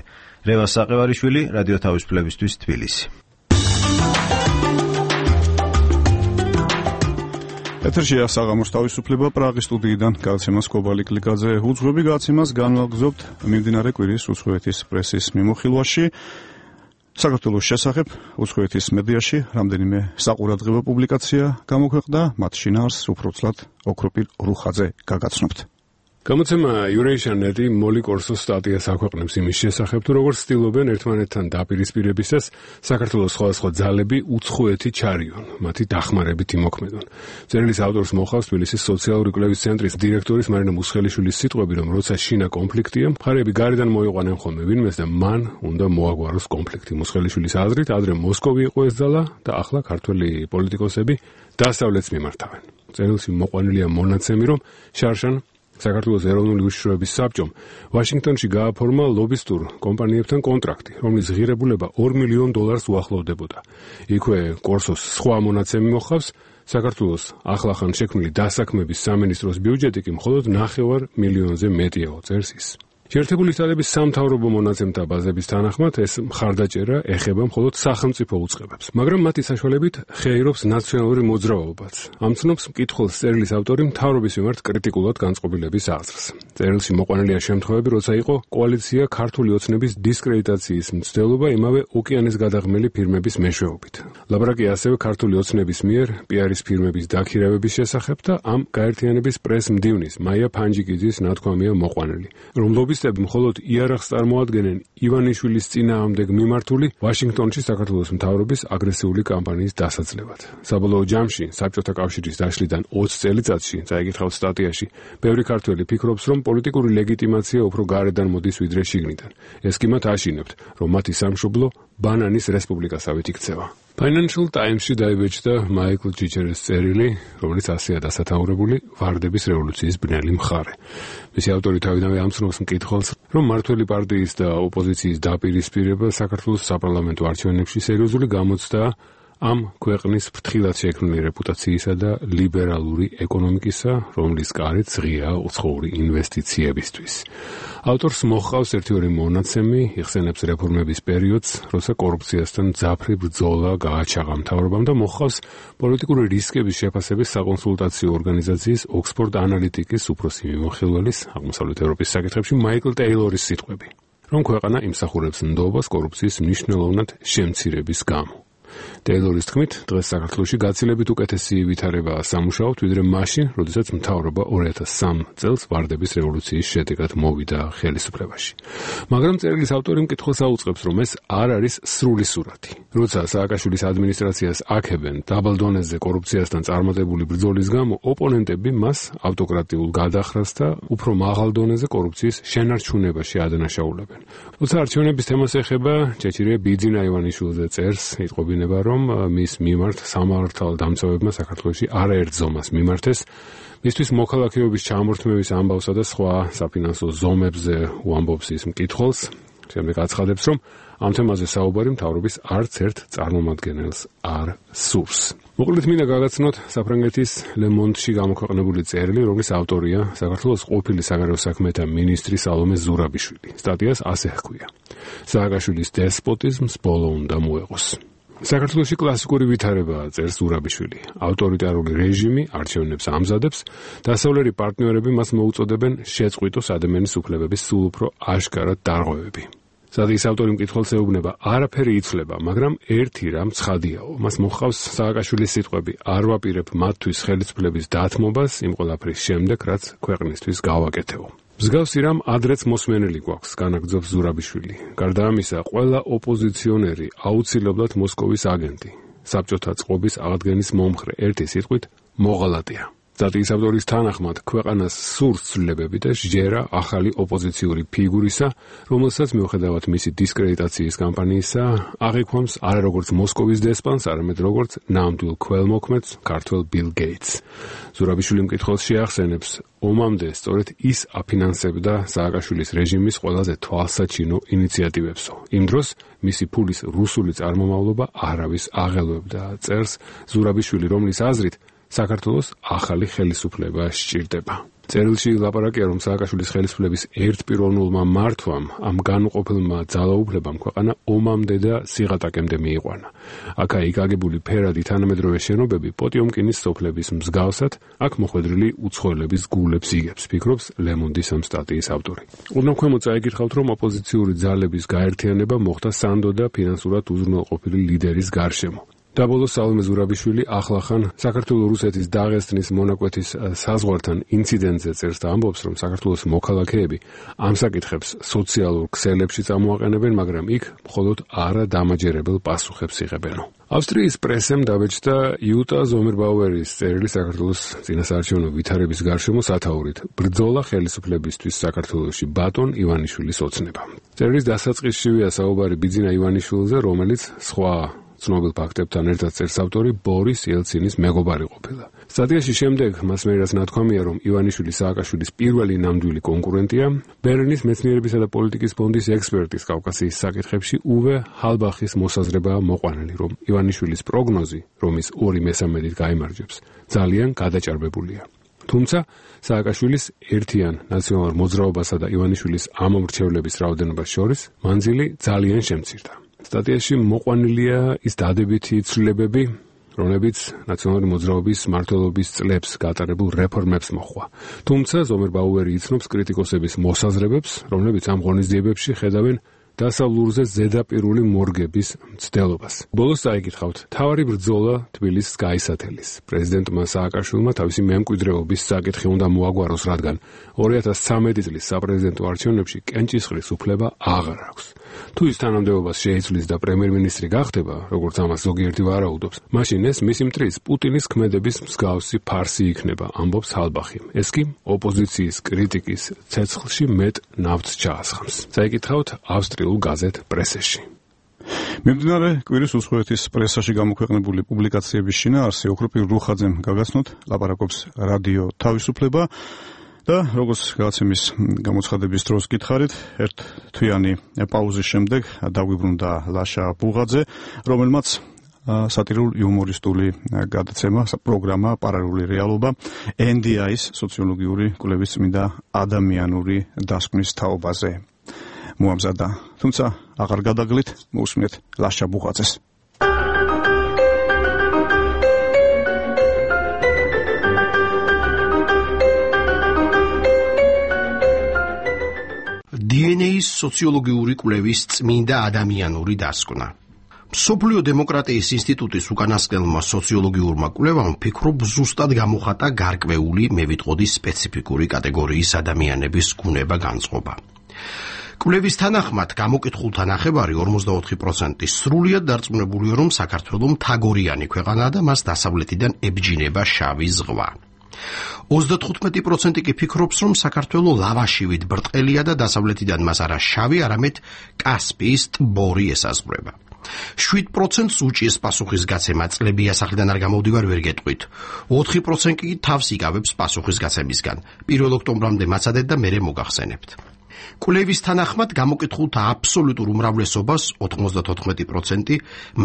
რევას საყევარიშვილი, რადიო თავისუფლებისთვის, თბილისი. ეთერშია საღამოს თავისუფლება პრაღის სტუდიიდან გადაცემას კობალი კლიკაძე უძღვები გადაცემას განვაგრძობთ მიმდინარე კვირის უცხოეთის პრესის მიმოხილვაში. საქართველოს შესახებ უცხოეთის მედიაში რამდენიმე საყურადღებო პუბლიკაცია გამოქვეყნდა, მათ შინაარსს უბრალოდ ოქროპირ რუხაძე გაგაცნობთ. გამოცემა Eurasian.net-ი მოლი კორსოს სტატიას აქვეყნებს იმის შესახებ, თუ როგორც ცდილობენ ერთმანეთთან დაპირისპირებისას საქართველოს სხვადასხვა ძალები უცხოეთი ჩარიონ, მათი დახმარებით იმოქმედონ. წერილის ავტორს მოხავს თბილისის სოციალური კვლევის ცენტრის დირექტორის მარინა მუსხელიშვილის სიტყვები, რომ როცა შინა კონფლიქტია, მხარეები გარედან მოიყვანენ ხოლმე ვინმეს და მან უნდა მოაგვაროს კონფლიქტი. მუსხელიშვილის აზრით, ადრე მოსკოვი იყო ეს ძალა და ახლა ქართველი პოლიტიკოსები დასავლეთს მიმართავენ. წერილში მოყვანილია მონაცემი, რომ შარშან საქართველოს ეროვნული უშიშროების საბჭომ ვაშინგტონში გააფორმა ლობისტურ კომპანიებთან კონტრაქტი, რომლის ღირებულება $2 მილიონ უახლოვდებოდა. იქვე კორსოს სხვა მონაცემი მოხავს, საქართველოს ახლახან შექმნილი დასაქმების სამინისტროს ბიუჯეტი კი მხოლოდ $900,000-ზე მეტია, წერს ის. შეერთებული შტატების სამთავრობო მონაცემთა ბაზების თანახმად ეს მხარდაჭერა ეხება მხოლოდ სახელმწიფო უწყებებს, მაგრამ მათი საშუალებით ხეირობს ნაციონალური მოძრაობაც. ამცნობს მკითხველს წერილის ავტორი მთავრობის მიმართ კრიტიკულად განწყობილების აზრს. წერილში მოყვანილია შემთხვევები, როცა იყო კოალიცია ქართული ოცნების დისკრედიტაციის მცდელობა იმავე ოკეანის გადაღმელი ფირმების მეშვეობით. ლაპარაკია ასევე ქართული ოცნების მიერ პიარის ფირმების დაქირავების შესახებ და ამ გაერთიანების პრეს-მდივნის მაია ფანჯიკიძის ნათქვამია მოყვანილი, რომ ლობისტები მხოლოდ იარაღს წარმოადგენენ ივანიშვილის წინააღმდეგ მიმართული ვაშინგტონში საქართველოს მთავრობის აგრესიული კამპანიის დასაძლევად. საბოლოო ჯამში საბჭოთა კავშირის დაშლიდან 20 წელიწადში, წაიკითხავთ სტატიაში, ბევრი ქართველი ფიქრობს, რომ პოლიტიკური ლეგიტიმაცია უფრო გარედან მოდის ვიდრე შიგნიდან. ეს კი მათ აშინებთ, რომ მათი სამშობლო ბანანის რესპუბლიკასავით იქცევა. Financial Times-ში დაიბეჭდა მაიკლ ჯიჯერის წერილი, რომელიც ასეა დასათაურებული ვარდების რევოლუციის ბნელი მხარე. მისი ავტორი თავიდანვე ამცნობს მკითხველს, რომ მმართველი პარტიის და ოპოზიციის დაპირისპირება საქართველოს საპარლამენტო არჩევნებში სერიოზული გამოცდაა ამ ქვეყნის ფრთხილად შექმნილი რეპუტაციისა და ლიბერალური ეკონომიკისა, რომლის გარეთ ღია უცხოური ინვესტიციებისთვის. ავტორს მოჰყავს ერთი-ორი მონაცემი, იხსენებს რეფორმების პერიოდს, როცა კორუფციასთან მძაფრი ბრძოლა გააჩაღა მთავრობამ და მოჰყავს პოლიტიკური რისკების შეფასების საკონსულტაციო ორგანიზაციის ოქსფორდ ანალიტიკის უფროსი მიმოხილველის აღმოსავლეთ ევროპის საკითხებში მაიკლ ტეილორის სიტყვები, რომ ქვეყანა იმსახურებს ნდობას კორუფციის მნიშვნელოვნად შემცირების გამო. ტეილორის თქმით, დღეს საქართველოში გაცილებით უკეთესი ვითარებაა სამუშაოდ, ვიდრე მაშინ, როდესაც მთავრობა 2003 წელს ვარდების რევოლუციის შედეგად მოვიდა ხელისუფლებაში. მაგრამ წერილის ავტორი მკითხველს აუწყებს, რომ ეს არ არის სრული სურათი. როცა სააკაშვილის ადმინისტრაციას აქებენ დაბალ დონეზე კორუფციასთან წარმატებული ბრძოლის გამო, ოპონენტები მას ავტოკრატიულ გადახრას და უფრო მაღალ დონეზე კორუფციის შენარჩუნებაში ადანაშაულებენ. როცა არჩევნების თემას ეხება, ჭეჭირია ბიძინა ივანიშვილზე წერს, იტყობინება, რომ მის მიმართ სამართალდამცავებმა საქართველოში არაერთ ზომას მიმართეს, მისთვის მოქალაქეობის ჩამორთმევის ამბავსა და სხვა საფინანსო ზომებზე უამბობს ის მკითხველს. შემდეგ აცხადებს, რომ ამ თემაზე საუბარი მთავრობის არც ერთ წარმომადგენელს არ სურს. მოკლედ მინდა გაგაცნოთ საფრანგეთის Le Monde-ში გამოქვეყნებული წერილი, რომლის ავტორია საქართველოს ყოფილი საგარეო საქმეთა მინისტრი სალომე ზურაბიშვილი. სტატიას ასე ჰქვია: სააკაშვილის დესპოტიზმს ბოლო უნდა მოეღოს. საქართველოში კლასიკური ვითარებაა, წერს ზურაბიშვილი. ავტორიტარული რეჟიმი არჩევნებს ამზადებს, დასავლელი პარტნიორები მას მოუწოდებენ შეწყვიტოს ადამიანის უფლებების სულ უფრო აშკარად დარღვევები. სტატიის ავტორი მკითხველს ეუბნება, არაფერი იცვლება, მაგრამ ერთი რამ ცხადიაო. მას მოჰყავს სააკაშვილის სიტყვები: არ ვაპირებ მათთვის ხელისუფლების დათმობას იმ ყველაფრის შემდეგ, რაც ქვეყნისთვის გავაკეთეო. მსგავსი რამ ადრეც მოსმენელი გვაქვს, განაგრძობს ზურაბიშვილი. გარდა ამისა, ყველა ოპოზიციონერი აუცილებლად მოსკოვის აგენტი, საბჭოთა წყობის აღდგენის მომხრე, ერთი სიტყვით მოღალატეა. სტატიის ავტორის თანახმად, ქვეყანას სურს ცვლილებები და სჯერა ახალი ოპოზიციური ფიგურისა, რომელსაც მიუხედავად მისი დისკრედიტაციის კამპანიისა, აღიქვამს არა როგორც მოსკოვის დესპანს, არამედ როგორც ნამდვილ ქველმოქმედს, ქართველ ბილ გეიტს. ზურაბიშვილი მკითხველს შეახსენებს, ომამდე სწორედ ის აფინანსებდა სააკაშვილის რეჟიმის ყველაზე თვალსაჩინო ინიციატივებსო. იმ დროს მისი ფულის რუსული წარმომავლობა არავის აღელვებდა, წერს ზურაბიშვილი, რომლის აზრით საქართველოს ახალი ხელისუფლება სჭირდება. წერილში ლაპარაკია, რომ სააკაშვილის ხელისუფლების ერთპიროვნულმა მართვამ, ამ განუყოფელმა ძალაუფლებამ ქვეყანა ომამდე და სიღატაკემდე მიიყვანა. აქა-იქ აგებული ფერადი თანამედროვე შენობები პოტიომკინის სოფლების მსგავსად, აქ მოხვედრილი უცხოელების გულებს იგებს, ფიქრობს Le Monde-ის ამ სტატიის ავტორი. ოდნავ ქვემოთ წაიკითხავთ, რომ ოპოზიციური ძალების გაერთიანება მოხდა სანდო და ფინანსურად უზრუნველყოფილი ლიდერის გარშემო. და ბოლოს სალომე ზურაბიშვილი ახლახან საქართველოს-რუსეთის დაღესტნის მონაკვეთის საზღვართან ინციდენტზე წერს და ამბობს, რომ საქართველოს მოქალაქეები ამ საკითხებს სოციალურ ქსელებში წამოაყენებენ, მაგრამ იქ მხოლოდ არადამაჯერებელ პასუხებს იღებენო. ავსტრიის პრესემ დაბეჭდა იუტა ზომერბაუერის წერილი საქართველოს წინასაარჩევნო ვითარების გარშემო სათაურით: ბრძოლა ხელისუფლებისთვის საქართველოში ბატონ ივანიშვილის ოცნება. წერილის დასაწყისშივეა საუბარი ბიძინა ივანიშვილზე, რომელიც სხვა ცნობილ ფაქტებთან ერთად წერს ავტორი ბორის ელცინის მეგობარი ყოფილა. სტატიაში შემდეგ მას მერას ნათქვამია, რომ ივანიშვილი სააკაშვილის პირველი ნამდვილი კონკურენტია, ბერლინის მეცნიერებისა და პოლიტიკის ფონდის ექსპერტის კავკასიის საკითხებში უვე ჰალბახის მოსაზრებაა მოყვანილი, რომ ივანიშვილის პროგნოზი, რომ ის 2/3 გაიმარჯვებს, ძალიან გადაჭარბებულია. თუმცა სააკაშვილის ერთიან ნაციონალურ მოძრაობასა და ივანიშვილის ამომრჩევლების რაოდენობას შორის მანძილი ძალიან შემცირდა. სტატიაში მოყვანილია ის დადებითი ცვლილებები, რომლებიც ნაციონალური მოძრაობის მმართველობის წლებს გატარებულ რეფორმებს მოჰყვა. თუმცა ზომერ ბაუერი იცნობს კრიტიკოსების მოსაზრებებს, რომლებიც ამ ღონისძიებებში ხედავენ დასავლურზე ზედაპირული მორგების მცდელობას. ბოლოს წაიკითხავთ, თავარი ბრძოლა თბილისს გაისათელის. პრეზიდენტმა სააკაშვილმა თავისი მემკვიდრეობის საკითხი უნდა მოაგვაროს, რადგან 2013 წლის საპრეზიდენტო არჩევნებში კენჭისყრის უფლება აღარ აქვს. თუ ის თანამდებობას შეიცვლის და პრემიერ-მინისტრი გახდება, როგორც ამას ზოგიერთი ვარაუდობს, მაშინ ეს მისი მტრის პუტინის ქმედების მსგავსი ფარსი იქნება, ამბობს ჰალბახი. ეს კი ოპოზიციის კრიტიკის ცეცხლში მეტ ნავთს ჩაასხამს. წაიკითხავთ ავსტრიულ გაზეთ პრესეში. მიმდინარე კვირის უცხოეთის პრესაში გამოქვეყნებული პუბლიკაციების შინაარსი ოქროპირ რუხაძემ გაგაცნოთ, ლაპარაკობს რადიო თავისუფლება და როგორც გადაცემის გამოცხადების დროს გითხარით, ერთ თვიანი პაუზის შემდეგ დაგვიბრუნდა ლაშა ბუღაძე, რომელმაც სატირულ-იუმორისტული გადაცემა, პროგრამა პარალელური რეალობა NDI-ის სოციოლოგიური კვლევის წმინდა ადამიანური დასკვნის თაობაზე მოამზადა. თუმცა აღარ გადაგლით, მოусმინეთ ლაშა ბუღაძეს. DNA-ის სოციოლოგიური კვლევის წმინდა ადამიანური დასკვნა. მსოფლიო დემოკრატიის ინსტიტუტის უკანასკნელმა სოციოლოგიურმა კვლევამ ფიქრობ ზუსტად გამოხატა გარკვეული, მე ვიტყოდი სპეციფიკური კატეგორიის ადამიანების გუნება განწყობა. კვლევის თანახმად გამოკითხულთა ნახევარი 44% სრულიად დარწმუნებულია, რომ საქართველო მთაგორიანი ქვეყანაა და მას დასავლეთიდან ებჯინება შავი ზღვა. 35% კი ფიქრობს, რომ საქართველო ლავაშივით ბრტყელია და დასავლეთიდან მას არა შავი, არამედ კასპიის ტბორი ესაზღვრება. 7%-ს უჭიეს პასუხისგაცემა წლები ასახლიდან არ გამოვდივარ ვერ გეტყვით. 4% კი თავს იკავებს პასუხისგაცემისგან. 1 ოქტომბრამდე მაცადეთ და მერე მოგახსენებთ. კვლევის თანახმად გამოკითხულთა აბსოლუტურ უმრავლესობას 94%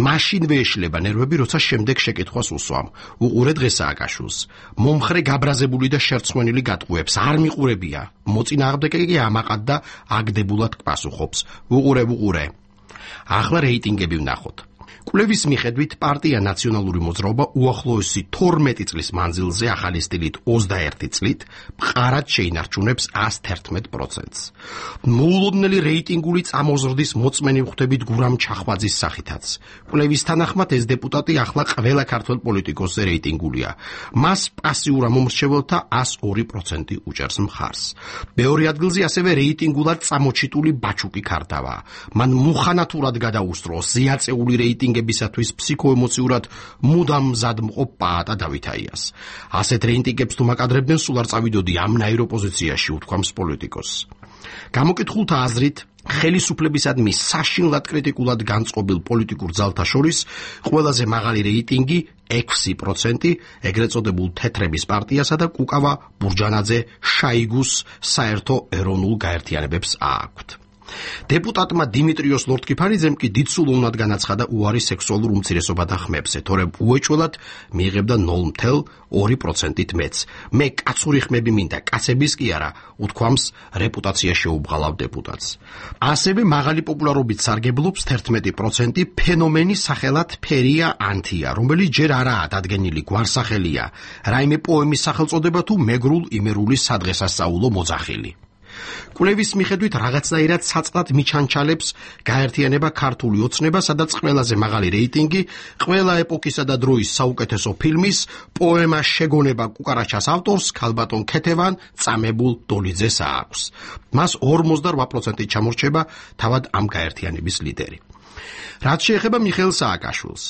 მაშინვე ეშლება ნერვები, როცა შემდეგ შეკითხვას უსვამ. უყურე დღეს სააკაშვილს. მომხრე გაბრაზებული და შერცხვენილი გატყუებს არ მიყურებია. მოწინააღმდეგე კი ამაყად და აგდებულად პასუხობს. უყურე. ახლა რეიტინგები ვნახოთ. კვლევის მიხედვით პარტია ნაციონალური მოძრაობა უახლოესი 12 წლის მანძილზე ახალი სტილით 21 წლით მყარად შეინარჩუნებს 111%-ს. მოულოდნელი რეიტინგული წამოზრდის მოწმენი ვხვდებით გურამ ჩახვაძის სახითაც. კვლევის თანახმად ეს დეპუტატი ახლა ყველა ქართველ პოლიტიკოსზე რეიტინგულია. მას პასიურ ამომრჩეველთა 102% უჭერს მხარს. მეორე ადგილზე ასევე რეიტინგულად წამოჩიტული ბაჩუკი ქარდავა. მან მუხანათურად გადაუსწრო ზიაწეული რეიტინგებისათვის ფსიქოემოციურად მუდამ მზად მყოფ პაატა დავითაიას. ასეთ რეიტინგებს თუ მაკადრებდნენ, სულ არ წავიდოდი ამნაირ ოპოზიციაში, უთქვამს პოლიტიკოსს. გამოკითხულთა აზრით, ხელისუფლებისადმი საშინლად კრიტიკულად განწყობილ პოლიტიკურ ძალთა შორის ყველაზე მაღალი რეიტინგი 6%, ეგრეთ წოდებულ თეთრების პარტიასა და კუკავა ბურჯანაძე შაიგუს საერთო ეროვნულ გაერთიანებებს აქვთ. დეპუტატმა დიმიტრიოს ლორდკიფარიძემ კი დიდსულოვნად განაცხადა უარი სექსუალურ უმცირესობათა ხმებზე, თორემ უეჭველად მიიღებდა 0.2%-ით მეც. მე კაცური ხმები მინდა, კაცების კი არა, უთქვამს რეპუტაცია შეუბღალავ დეპუტატს. ასევე მაღალი პოპულარობით სარგებლობს 11% ფენომენი სახელად ფერია ანთია, რომელიც ჯერ არაა დადგენილი გვარსახელია, რაიმე პოემის სახელწოდება თუ მეგრულ იმერული სადღესასწაულო მოძახილი. კვლევის მიხედვით რაღაცნაირად საწყლად მიჩანჩალებს გაერთიანება ქართული ოცნება, სადაც ყველაზე მაღალი რეიტინგი ყველა ეპოქისა და დროის საუკეთესო ფილმის პოემა შეგონება კუკარაჩას ავტორს ქალბატონ ქეთევან წამებულ დოლიძეს აქვს. მას 48%-ით ჩამორჩება თავად ამ გაერთიანების ლიდერი. რაც შეეხება მიხეილ სააკაშვილს,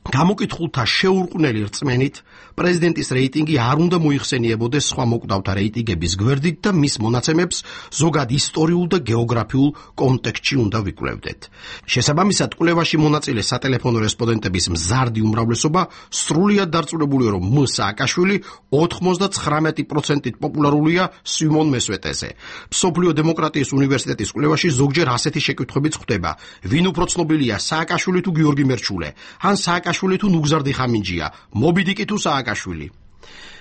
გამოკითხულთა შეურყვნელი რწმენით პრეზიდენტის რეიტინგი არ უნდა მოიხსენიებოდეს სხვა მოკვდავთა რეიტინგების გვერდით და მის მონაცემებს ზოგად ისტორიულ და გეოგრაფიულ კონტექსტში უნდა ვიკვლევდეთ. შესაბამისად, კვლევაში მონაწილე სატელეფონო რესპონდენტების მზარდი უმრავლესობა სრულიად დარწმუნებულია, რომ մ. სააკაშვილი 99%-ით პოპულარულია სიმონ მესვეტეზე. მსოფლიო დემოკრატიის უნივერსიტეტის კვლევაში ზოგჯერ ასეთი შეკითხვებიც ხდება: ვინ უფრო ცნობილია, სააკაშვილი თუ გიორგი მერჩულე? ან სააკაშვილი თუ ნუგზარ დიხამინჯია, მობიდიკი თუ სააკაშვილი?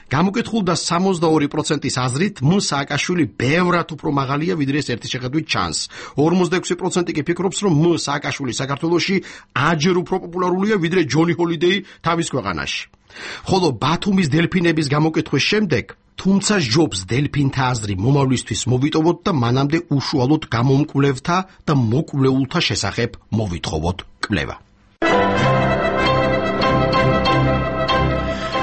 გამოკითხულდა 62%-ის აზრით, სააკაშვილი ბევრად უფრო მაღალია, ვიდრე ეს ერთი შეხედვით ჩანს. 46% კი ფიქრობს, რომ სააკაშვილი საქართველოში აჯერ უფრო პოპულარულია, ვიდრე ჯონი ჰოლიდეი თავის ქვეყანაში. ხოლო ბათუმის დელფინების გამოკითხვის შემდეგ, თუმცა ჯობს დელფინთა აზრი მომავლისთვის მოვიტოვოთ და მანამდე უშუალოდ გამომკვლევთა და მოკვლეულთა შესახებ მოვითხოვოთ კვლევა.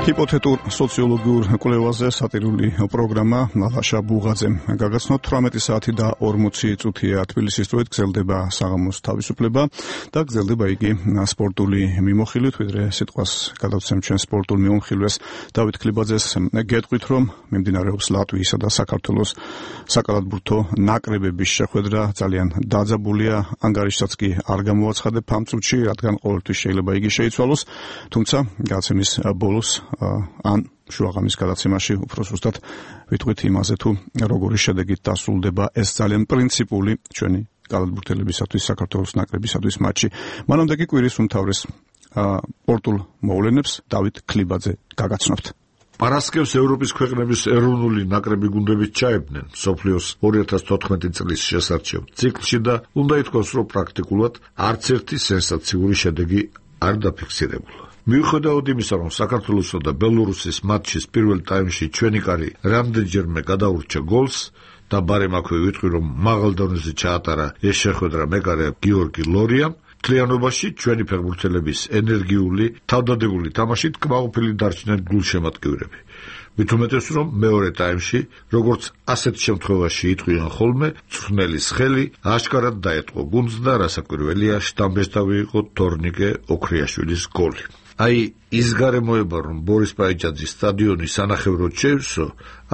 ჰიპოთეტურ სოციოლოგიურ კვლევაზე სატირული პროგრამა ლაშა ბუღაძემ გაგაცნოთ 18 საათი და 40 წუთია თბილისის დროით გრძელდება საღამოს თავისუფლება და გრძელდება იგი სპორტული მიმოხილვით, ვიდრე სიტყვას გადავცემ ჩვენ სპორტულ მიმოხილვეს დავით ქლიბაძეს გეტყვით, რომ მიმდინარეობს ლატვიისა და საქართველოს საკალათბურთო ნაკრებების შეხვედრა, ძალიან დაძაბულია, ანგარიშსაც კი არ გამოაცხადებ ამ წუთში, რადგან ყოველთვის შეიძლება იგი შეიცვალოს, თუმცა გადაცემის ბოლოს ან შუაღამის გადაცემაში უფრო ზუსტად ვიტყვით იმაზე, თუ როგორი შედეგით დასრულდება ეს ძალიან პრინციპული ჩვენი კალათბურთელებისათვის საქართველოს ნაკრებისათვის მატჩი. მანამდე კი კვირის უმთავრეს სპორტულ მოვლენებს დავით ქლიბაძე გაგაცნობთ. პარასკევს ევროპის ქვეყნების ეროვნული ნაკრები გუნდებით ჩაებდნენ მსოფლიოს 2014 წლის შესარჩევ ციკლში და უნდა ითქვას, რომ პრაქტიკულად არც ერთი სენსაციური შედეგი არ დაფიქსირებულა. მიუხედავად იმისა, რომ საქართველოსა და ბელორუსის მატჩის პირველ ტაიმში ჩვენი კარი რამდენჯერმე გადაურჩა გოლს და ბარემ აქვე ვიტყვი, რომ მაღალ დონეზე ჩაატარა ეს შეხვედრა მეკარე გიორგი ლორიამ, მთლიანობაში ჩვენი ფეხბურთელების ენერგიული, თავდადებული თამაშით კმაყოფილი დარჩნენ გულშემატკივრები. მით უმეტეს, რომ მეორე ტაიმში, როგორც ასეთ შემთხვევაში იტყვიან ხოლმე, მწვრთნელის ხელი აშკარად დაეტყო გუნდს და რასაკვირველია, შტამბესტავი იყო თორნიკე ოქრიაშვილის გოლი. აი, ის გარემოება, რომ ბორის პაიჭაძის სტადიონი სანახევროდ შეივსო,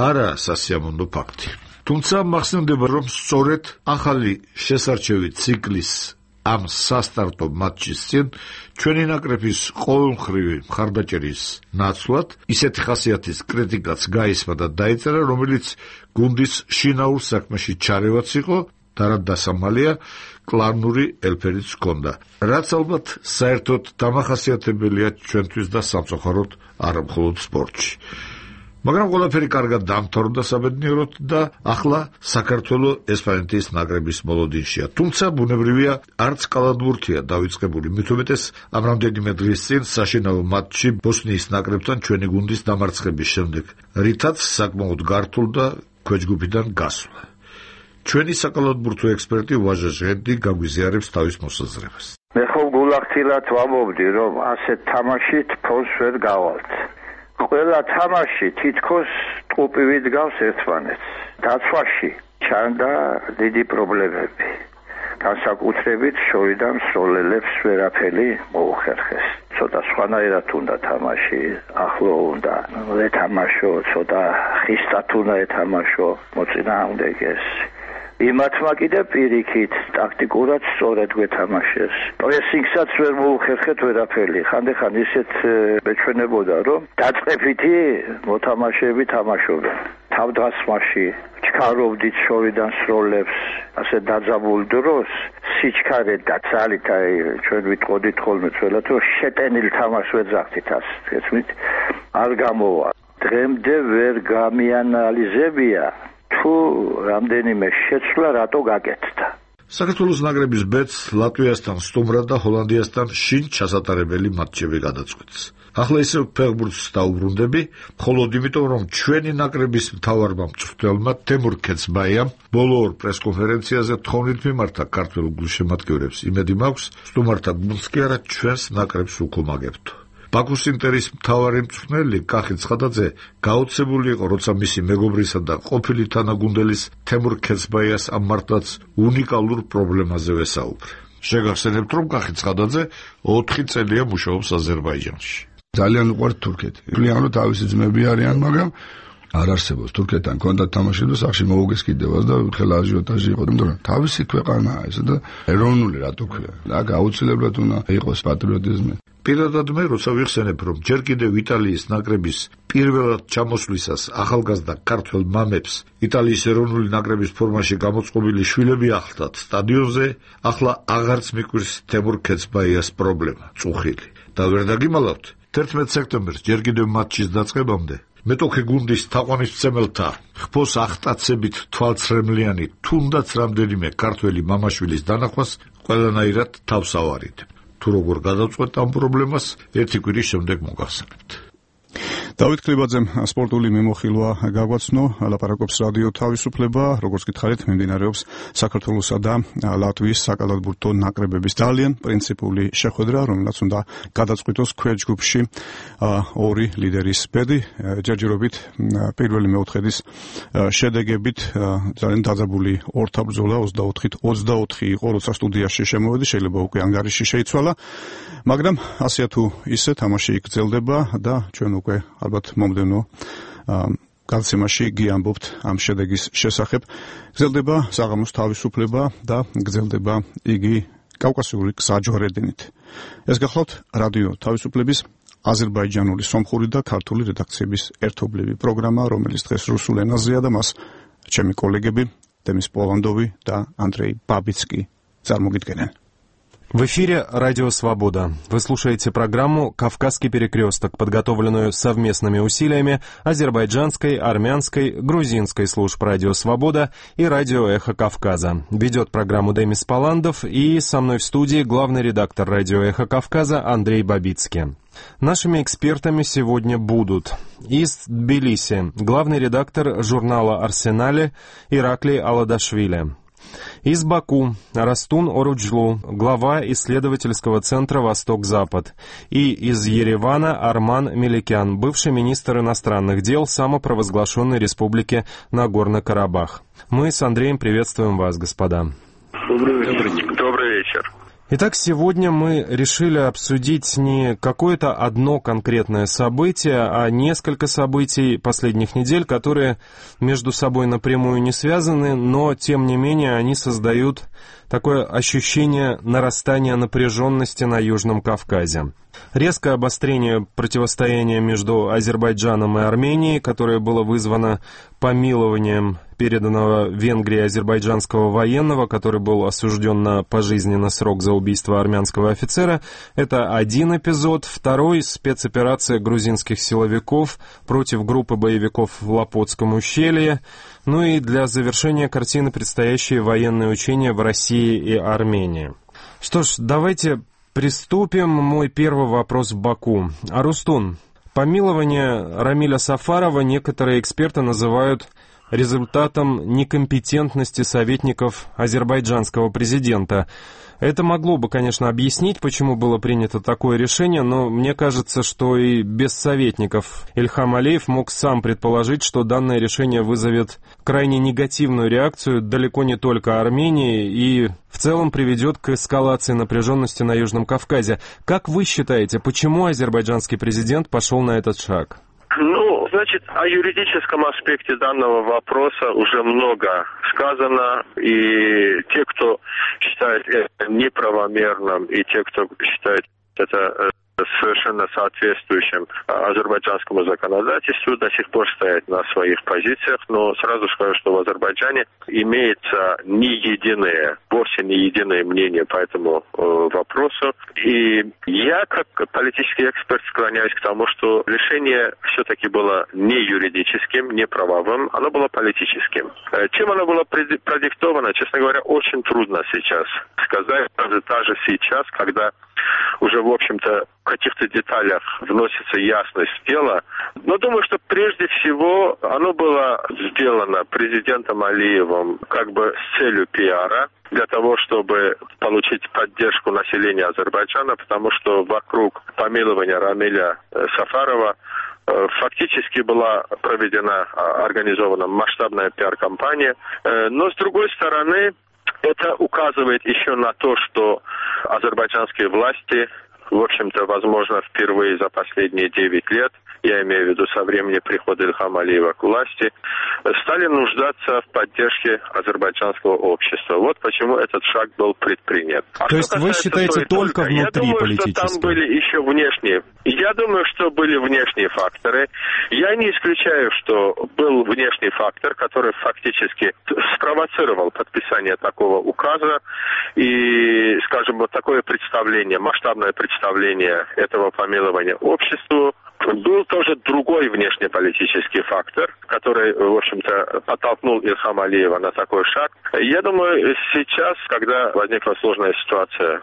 არაა სასიამოვნო ფაქტი. თუმცა მახსენდება, რომ სწორედ ახალი შესარჩევი ციკლის ამ სასტარტო მატჩის წინ ჩვენი ნაკრების ყოველმხრივი მხარდაჭერის ნაცვლად ისეთი ხასიათის კრიტიკაც გაისმა და დაიწერა, რომელიც გუნდის შინაურ საქმეში ჩარევაც იყო და რა დასამალია კლანური ელფერიც ჰქონდა, რაც ალბათ საერთოდ დამახასიათებელია ჩვენთვის და სამწუხაროდ არა მხოლოდ სპორტში. მაგრამ ყველაფერი კარგად დამთავრდა საბედნიეროდ და ახლა საქართველოს ესპანეთის ნაკრების მოლოდინშია. თუმცა ბუნებრივია, არც კალათბურთია დავიწყებული, მით უმეტეს ამ რამდენიმე დღის წინ საშინაო მატჩში ბოსნიის ნაკრებთან ჩვენი გუნდის დამარცხების შემდეგ, რითაც საკმაოდ გართულდა ქვეჯგუფიდან გასვლა. ჩვენი საკალათბურთო ექსპერტი ვაჟა ჟღენტი გაგვიზიარებს თავის მოსაზრებას. მე ხო გულახდილად ვამბობდი, რომ ასეთ თამაშით ფონს ვერ გავალთ. ყველა თამაში თითქოს ტყუპივით გავს ერთმანეთს. დაცვაში ჩანდა დიდი პრობლემები. განსაკუთრებით შორიდან სროლელებს ვერაფერი მოუხერხეს. ცოტა სხვანაირად უნდა თამაში, ახლო უნდა ეთამაშო, ცოტა ხისტად უნდა ეთამაშო, მოწინააღმდეგეს. იმათმა კიდე პირიქით ტაქტიკურად სწორად გვეთამაშეს. პრესინგსაც ვერ მოუხერხეთ ვერაფერი. ხანდახან ისეთ მეჩვენებოდა, რომ დაწყებითი მოთამაშეები თამაშობენ. თავდასხმაში ჩქარობდით შორიდან სროლებს, ასე დაძაბულ დროს სიჩქარე და ძალით აი ჩვენ ვიტყოდით ხოლმე თველად, რომ შეტენილ თამაშს ვეძახდით ასე. ესმით არ გამოვა. დღემდე ვერ გამიანალიზებია თუ რამდენიმე შეცვლა რატო გაკეთდა. საქართველოს ნაკრების ბედს ლატვიასთან სტუმრად და ჰოლანდიასთან შინ ჩასატარებელი მატჩები გადაწყვეტს. ახლა ისევ ფეხბურთს დაუბრუნდები, მხოლოდ იმიტომ, რომ ჩვენი ნაკრების მთავარმა მწვრთნელმა თემურ ქეცბაიამ ბოლო ორ პრესკონფერენციაზე თხოვნით მიმართა ქართველ გულშემატკივრებს. იმედი მაქვს, სტუმართა გუნდს კი არა ჩვენს ნაკრებს უკომაგებთ. ბაქოს ინტერის მთავარი მწვრთნელი კახი ცხადაძე გაოცებული იყო, როცა მისი მეგობრისა და ყოფილი თანაგუნდელის თემურ ქეცბაიას ამ მართლაც უნიკალურ პრობლემაზე ვესაუბრე. შეგახსენებთ, რომ კახი ცხადაძე 4 წელია მუშაობს აზერბაიჯანში. ძალიან უყვართ თურქეთი. ფლიანო თავისი ძმები არიან, მაგრამ არ არსებობს თურქეთთან კონტაქტ თამაში და სახში მოუგესკიდებას და ხელა აჟიოტაჟი იყო, მაგრამ თავისი ქვეყანაა ეს და ეროვნული რატო ქვია. აქ აუცილებლად უნდა იყოს პატრიოტიზმი. პირადად მე როცა ვიხსენებ, რომ ჯერ კიდევ იტალიის ნაკრების პირველად ჩამოსვლისას ახალგაზრდა ქართველ მამებს იტალიის ეროვნული ნაკრების ფორმაში გამოწყობილი შვილები ახლდათ სტადიონზე, ახლა აღარც მიკვირს თემურ ქეცბაიას პრობლემა, წუხილი. და ვერ დაგიმალავთ, 11 სექტემბერს ჯერ კიდევ მატჩის დაწყებამდე მეტოქე გუნდის თაყვანისმცემელთა ხფოს ახტაცებით თვალცრემლიანი თუნდაც რამდენიმე ქართველი მამაშვილის დანახვას ყველანაირად თავს ავარით. თუ როგორ გადავწყვეტ ამ პრობლემას, ერთი კვირის შემდეგ მოგახსენებთ. დავით კლებაძემ სპორტული მიმოხილვა გაგვაცნო, ლაპარაკობს რადიო თავისუფლება, როგორც გითხარით, მიმდინარეობს საქართველოსა და ლატვიის საკალათბურთო ნაკრებების ძალიან პრინციპული შეხვედრა, რომელსაც უნდა გადაწყვიტოს ქვეჯგუფში ორი ლიდერის ბედი, ჯერჯერობით პირველი მეოთხედის შედეგებით ძალიან დაძაბული ორთაბრძოლა 24-24 იყო, როცა სტუდიაში შემოვედი, შეიძლება უკვე ანგარიში შეიცვალა, მაგრამ ასეა თუ ისე თამაში გრძელდება და ჩვენ უკვე ალბათ მომდევნო გადაცემაში გიამბობთ ამ შედეგის შესახებ. გრძელდება საღამოს თავისუფლება და გრძელდება იგი კავკასიური გზაჯვარედინით. ეს გახლავთ რადიო თავისუფლების აზერბაიჯანული სომხური და ქართული რედაქციების ერთობლივი პროგრამა, რომელიც დღეს რუსულ ენაზეა და მას ჩემი კოლეგები დემის პოლანდოვი და ანდრეი ბაბიცკი წარმოგიდგენენ. В эфире «Радио Свобода». Вы слушаете программу «Кавказский перекресток», подготовленную совместными усилиями азербайджанской, армянской, грузинской служб «Радио Свобода» и «Радио Эхо Кавказа». Ведет программу Демис Поландов и со мной в студии главный редактор «Радио Эхо Кавказа» Андрей Бабицкий. Нашими экспертами сегодня будут из Тбилиси главный редактор журнала «Арсенале» Ираклий Аладашвили. Из Баку Растун Оруджлу, глава исследовательского центра «Восток-Запад». И из Еревана Арман Меликян, бывший министр иностранных дел самопровозглашенной республики Нагорно-Карабах. Мы с Андреем приветствуем вас, господа. Добрый вечер. Итак, сегодня мы решили обсудить не какое-то одно конкретное событие, а несколько событий последних недель, которые между собой напрямую не связаны, но, тем не менее, они создают такое ощущение нарастания напряженности на Южном Кавказе. Резкое обострение противостояния между Азербайджаном и Арменией, которое было вызвано помилованием переданного Венгрии азербайджанского военного, который был осужден на пожизненный срок за убийство армянского офицера. Это один эпизод. Второй — спецоперация грузинских силовиков против группы боевиков в Лопотском ущелье. Ну и для завершения картины предстоящие военные учения в России и Армении. Что ж, давайте приступим. Мой первый вопрос в Баку. Арустун, помилование Рамиля Сафарова некоторые эксперты называют результатом некомпетентности советников азербайджанского президента. Это могло бы, конечно, объяснить, почему было принято такое решение, но мне кажется, что и без советников Ильхам Алиев мог сам предположить, что данное решение вызовет крайне негативную реакцию далеко не только Армении и в целом приведет к эскалации напряженности на Южном Кавказе. Как вы считаете, почему азербайджанский президент пошел на этот шаг? Значит, о юридическом аспекте данного вопроса уже много сказано, и те, кто считает это неправомерным, и те, кто считает это совершенно соответствующим азербайджанскому законодательству, до сих пор стоят на своих позициях, но сразу скажу, что в Азербайджане имеется вовсе не единое мнение по этому вопросу. И я, как политический эксперт, склоняюсь к тому, что решение все-таки было не юридическим, не правовым, оно было политическим. Чем оно было продиктовано, честно говоря, очень трудно сейчас сказать, даже сейчас, когда уже, в общем-то, в каких-то деталях вносится ясность в дело. Но думаю, что прежде всего оно было сделано президентом Алиевым как бы с целью пиара, для того, чтобы получить поддержку населения Азербайджана, потому что вокруг помилования Рамиля Сафарова фактически была организована масштабная пиар-кампания. Но, с другой стороны, это указывает еще на то, что азербайджанские власти, в общем-то, возможно, впервые за последние 9 лет, я имею в виду со времени прихода Ильхама Алиева к власти, стали нуждаться в поддержке азербайджанского общества. Вот почему этот шаг был предпринят. То есть вы считаете только внутри политически? Я думаю, что там были еще внешние Я думаю, что были внешние факторы. Я не исключаю, что был внешний фактор, который фактически спровоцировал подписание такого указа и, скажем, вот такое представление, масштабное представление этого помилования обществу. Был тоже другой внешнеполитический фактор, который, в общем-то, подтолкнул Ильхама Алиева на такой шаг. Я думаю, сейчас, когда возникла сложная ситуация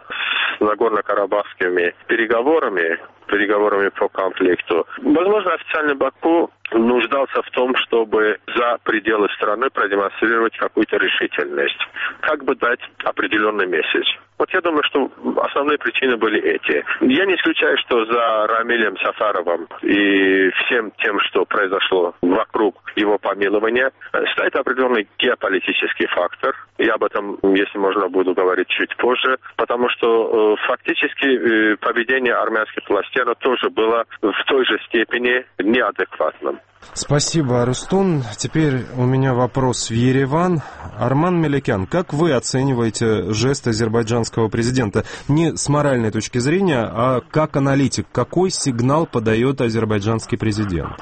с Нагорно-Карабахскими переговорами по конфликту, возможно, официальный Баку нуждался в том, чтобы за пределы страны продемонстрировать какую-то решительность, как бы дать определенный месседж. Вот я думаю, что основные причины были эти. Я не исключаю, что за Рамилем Сафаровым и всем тем, что произошло вокруг его помилования, стоит определенный геополитический фактор. Я об этом, если можно, буду говорить чуть позже, потому что фактически поведение армянских властей оно тоже было в той же степени неадекватным. Спасибо, Арустун. Теперь у меня вопрос в Ереван. Арман Меликян, как вы оцениваете жест азербайджанского президента? Не с моральной точки зрения, а как аналитик. Какой сигнал подает азербайджанский президент?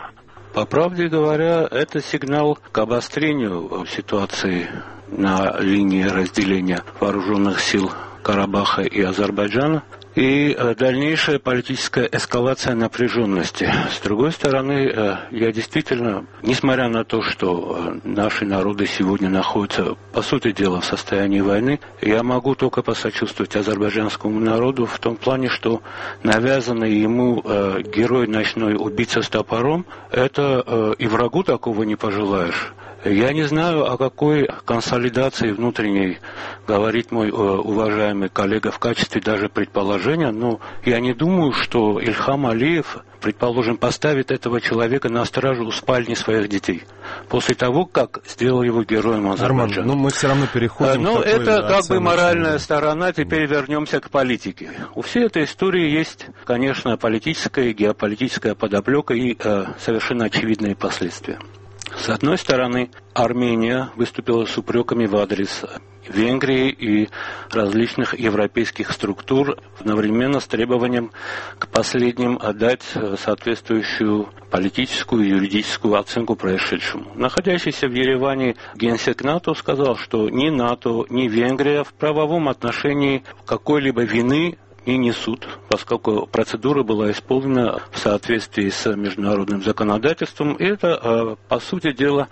По правде говоря, это сигнал к обострению ситуации на линии разделения вооруженных сил Карабаха и Азербайджана и дальнейшая политическая эскалация напряженности. С другой стороны, я действительно, несмотря на то, что наши народы сегодня находятся, по сути дела, в состоянии войны, я могу только посочувствовать азербайджанскому народу в том плане, что навязанный ему герой ночной убийца с топором, это и врагу такого не пожелаешь. Я не знаю, о какой консолидации внутренней говорит мой уважаемый коллега в качестве даже предположения, но я не думаю, что Ильхам Алиев, предположим, поставит этого человека на стражу у спальни своих детей после того, как сделал его героем Азербайджана. Арман, мы все равно переходим к такой это как бы моральная сторона, теперь вернемся к политике. У всей этой истории есть, конечно, политическая и геополитическая подоплека и совершенно очевидные последствия. С одной стороны, Армения выступила с упреками в адрес Венгрии и различных европейских структур, одновременно с требованием к последним отдать соответствующую политическую и юридическую оценку происшедшему. Находящийся в Ереване генсек НАТО сказал, что ни НАТО, ни Венгрия в правовом отношении какой-либо вины не несут, поскольку процедура была исполнена в соответствии с международным законодательством. И это, по сути дела,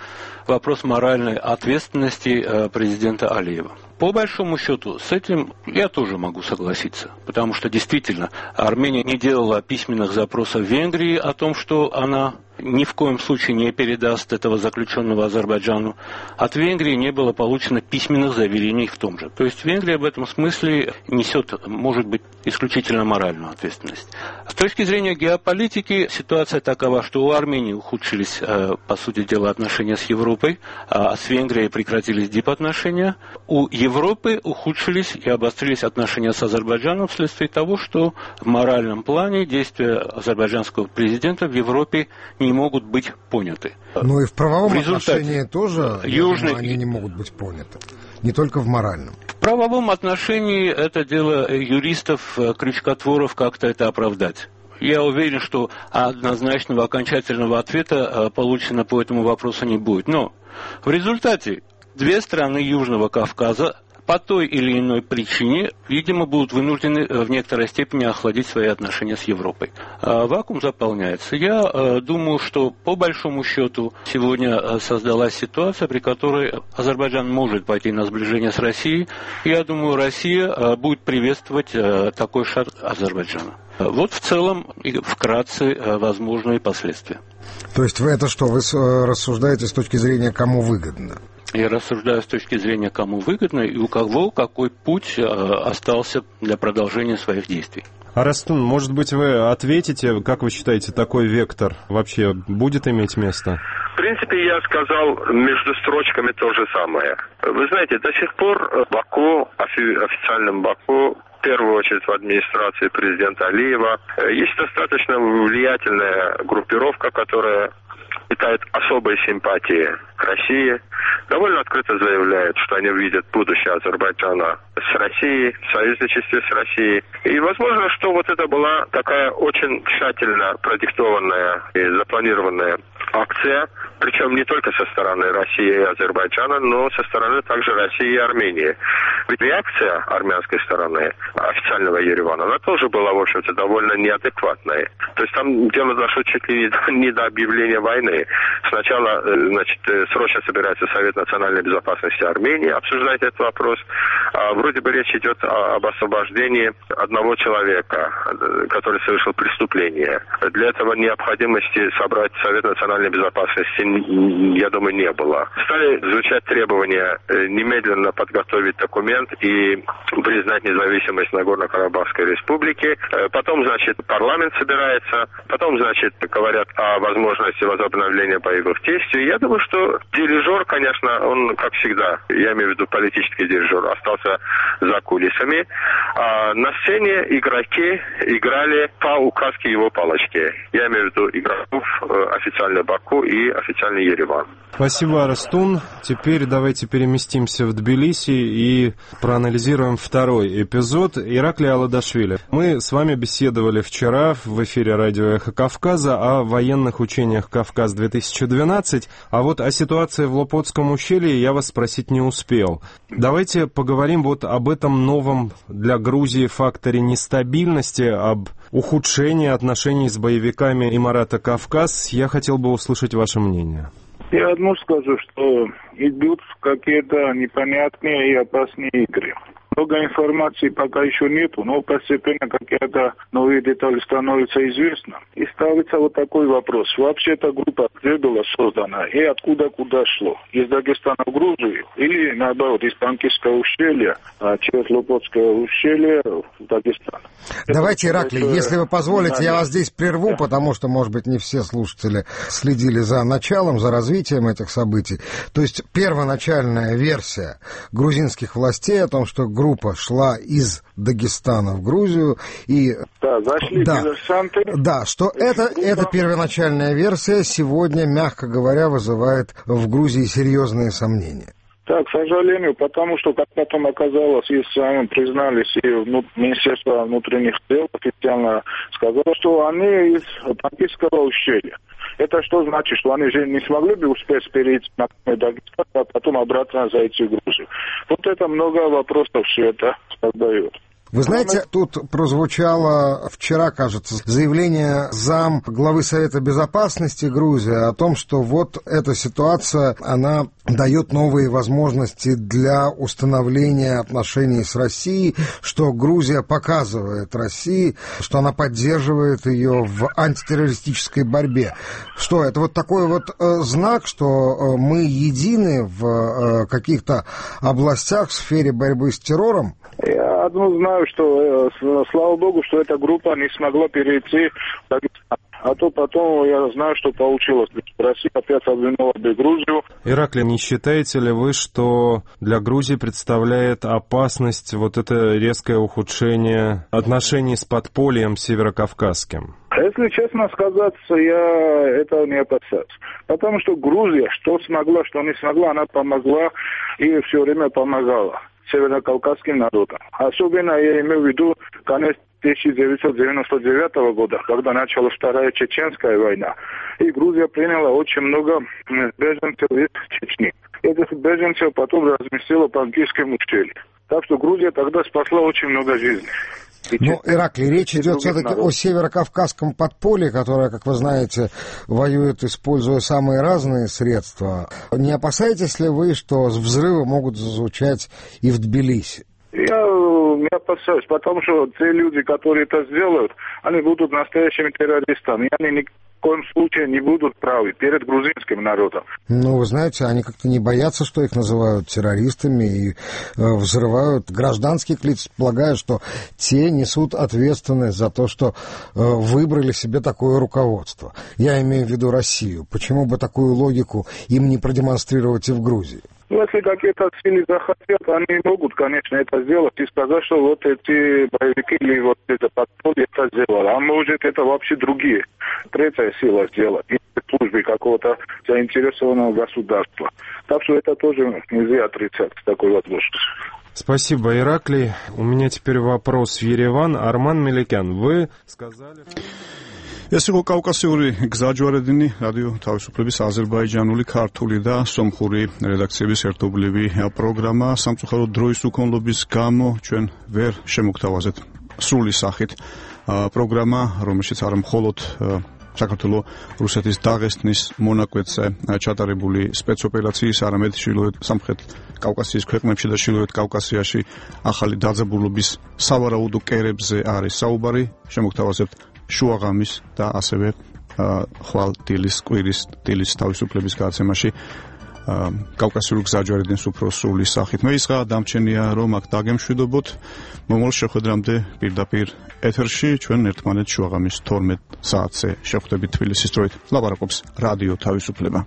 вопрос моральной ответственности президента Алиева. По большому счету, с этим я тоже могу согласиться, потому что действительно Армения не делала письменных запросов в Венгрии о том, что она ни в коем случае не передаст этого заключенного Азербайджану. От Венгрии не было получено письменных заверений в том же. То есть Венгрия в этом смысле несет, может быть, исключительно моральную ответственность. С точки зрения геополитики ситуация такова, что у Армении ухудшились, по сути дела, отношения с Европой, а с Венгрией прекратились дипотношения. У Европы ухудшились и обострились отношения с Азербайджаном вследствие того, что в моральном плане действия азербайджанского президента в Европе не могут быть поняты. Но и в правовом отношении тоже они не могут быть поняты. Не только в моральном. В правовом отношении это дело юристов, крючкотворов как-то это оправдать. Я уверен, что однозначного окончательного ответа получено по этому вопросу не будет. Но в результате две страны Южного Кавказа по той или иной причине, видимо, будут вынуждены в некоторой степени охладить свои отношения с Европой. Вакуум заполняется. Я думаю, что по большому счету сегодня создалась ситуация, при которой Азербайджан может пойти на сближение с Россией. Я думаю, Россия будет приветствовать такой шаг Азербайджана. Вот в целом и вкратце возможные последствия. То есть это что, вы рассуждаете с точки зрения, кому выгодно? Я рассуждаю с точки зрения, кому выгодно и у кого какой путь остался для продолжения своих действий. Арастун, может быть, вы ответите, как вы считаете, такой вектор вообще будет иметь место? В принципе, я сказал между строчками то же самое. Вы знаете, до сих пор Баку, официальном Баку, в первую очередь в администрации президента Алиева, есть достаточно влиятельная группировка, которая питает особые симпатии к России, довольно открыто заявляют, что они видят будущее Азербайджана с Россией, в союзничестве с Россией. И возможно, что вот это была такая очень тщательно продиктованная и запланированная акция, причем не только со стороны России и Азербайджана, но со стороны также России и Армении. Ведь реакция армянской стороны, официального Еревана, она тоже была, в общем-то, довольно неадекватной. То есть там дело дошло чуть ли не до объявления войны. Сначала, значит, срочно собирается Совет национальной безопасности Армении обсуждать этот вопрос. Вроде бы речь идет об освобождении одного человека, который совершил преступление. Для этого необходимости собрать Совет национальной безопасности, я думаю, не было. Стали звучать требования немедленно подготовить документ и признать независимость Нагорно-Карабахской республики. Потом, значит, парламент собирается. Потом, значит, говорят о возможности возобновления боевых действий. Я думаю, что дирижер, конечно, он, как всегда, я имею в виду политический дирижер, остался за кулисами. А на сцене игроки играли по указке его палочки. Я имею в виду игроков официальный Баку и официальный Ереван. Спасибо, Арстун. Теперь давайте переместимся в Тбилиси и проанализируем второй эпизод. Ираклий Аладашвили. Мы с вами беседовали вчера в эфире радио «Эхо Кавказа» о военных учениях «Кавказ-2012», а вот о ситуации в Лопотском ущелье я вас спросить не успел. Давайте поговорим вот об этом новом для Грузии факторе нестабильности, об ухудшении отношений с боевиками Имарата Кавказ. Я хотел бы услышать ваше мнение. Я одно скажу, что идут какие-то непонятные и опасные игры. Много информации пока еще нету, но постепенно какие-то новые детали становятся известны. И ставится вот такой вопрос. Вообще эта группа где была создана и откуда куда шло? Из Дагестана в Грузию или наоборот из Панкисского ущелья через Лопотское ущелье в Дагестан? Давайте, Ираклий, если вы позволите, я вас здесь прерву, потому что, может быть, не все слушатели следили за началом, за развитием этих событий. То есть первоначальная версия грузинских властей о том, что группа шла из Дагестана в Грузию и... Да, зашли диверсанты. Да, что эта первоначальная версия сегодня, мягко говоря, вызывает в Грузии серьезные сомнения. Так, к сожалению, потому что, как потом оказалось, и сами признались, и Министерство внутренних дел официально сказало, что они из Панкисского ущелья. Это что значит, что они же не смогли бы успеть перейти на Дагестан, а потом обратно зайти в Грузию? Вот это много вопросов все это создает. Вы знаете, тут прозвучало вчера, кажется, заявление зам главы Совета Безопасности Грузии о том, что вот эта ситуация, она дает новые возможности для установления отношений с Россией, что Грузия показывает России, что она поддерживает ее в антитеррористической борьбе. Что это вот такой вот знак, что мы едины в каких-то областях в сфере борьбы с террором? Я одно знаю, что, слава богу, что эта группа не смогла перейти в Дагестан. А то потом я знаю, что получилось. Россия опять обвинула бы Грузию. Ираклий, не считаете ли вы, что для Грузии представляет опасность вот это резкое ухудшение отношений с подпольем северокавказским? Если честно сказать, я этого не опасаюсь. Потому что Грузия, что смогла, что не смогла, она помогла и все время помогала северокавказским народам. Особенно я имею в виду конец 1999 года, когда началась Вторая Чеченская война. И Грузия приняла очень много беженцев из Чечни. Этих беженцев потом разместила в Панкисском ущелье. Так что Грузия тогда спасла очень много жизней. Ну, Ираклий, речь идет все-таки о северокавказском подполье, которое, как вы знаете, воюет, используя самые разные средства. Не опасаетесь ли вы, что взрывы могут зазвучать и в Тбилиси? Я не опасаюсь, потому что те люди, которые это сделают, они будут настоящими террористами. И они ни в коем случае не будут правы перед грузинским народом. Ну, вы знаете, они как-то не боятся, что их называют террористами и взрывают гражданских лиц, полагая, что те несут ответственность за то, что выбрали себе такое руководство. Я имею в виду Россию. Почему бы такую логику им не продемонстрировать и в Грузии? Если какие-то сильные захотят, они могут, конечно, это сделать и сказать, что вот эти боевики или вот это подполье это сделало. А может это вообще другие, третья сила сделать, службы какого-то заинтересованного государства. Так что это тоже нельзя отрицать, такой возможность. Спасибо, Ираклий. У меня теперь вопрос в Ереван. Арман Меликян, вы сказали... ეს იყო კავკასიური გზაჯვარედინი რადიო თავისუფლების აზერბაიჯანული ქართული და სომხური რედაქციების ერთობლივი პროგრამა სამწუხაროდ დროის უქონლობის გამო ჩვენ ვერ შემოგთავაზეთ სრული სახით პროგრამა რომელშიც არა მხოლოდ საქართველოს რუსეთის დაღესტნის მონაკვეთზე ჩატარებული სპეცოპერაციის არამედ სამხრეთ კავკასიის ქვეყნებში და ჩრდილოეთ კავკასიაში ახალი დაძაბულობის სავარაუდო კერებზე არის საუბარი შემოგთავაზებთ შუაღამის და ასევე ხვალ დილის კვირის დილის თავისუფლების გადაცემაში კავკასიური გზაჯვარედინის უფრო სრული სახით. მე ისღა დამჩენია რომ აქ დაგემშვიდობოთ მომავალ შეხვედრამდე პირდაპირ ეთერში ჩვენ ერთმანეთს შუაღამის 12 საათზე შეხვდებით თბილისის დროით. ლაპარაკობს რადიო თავისუფლება.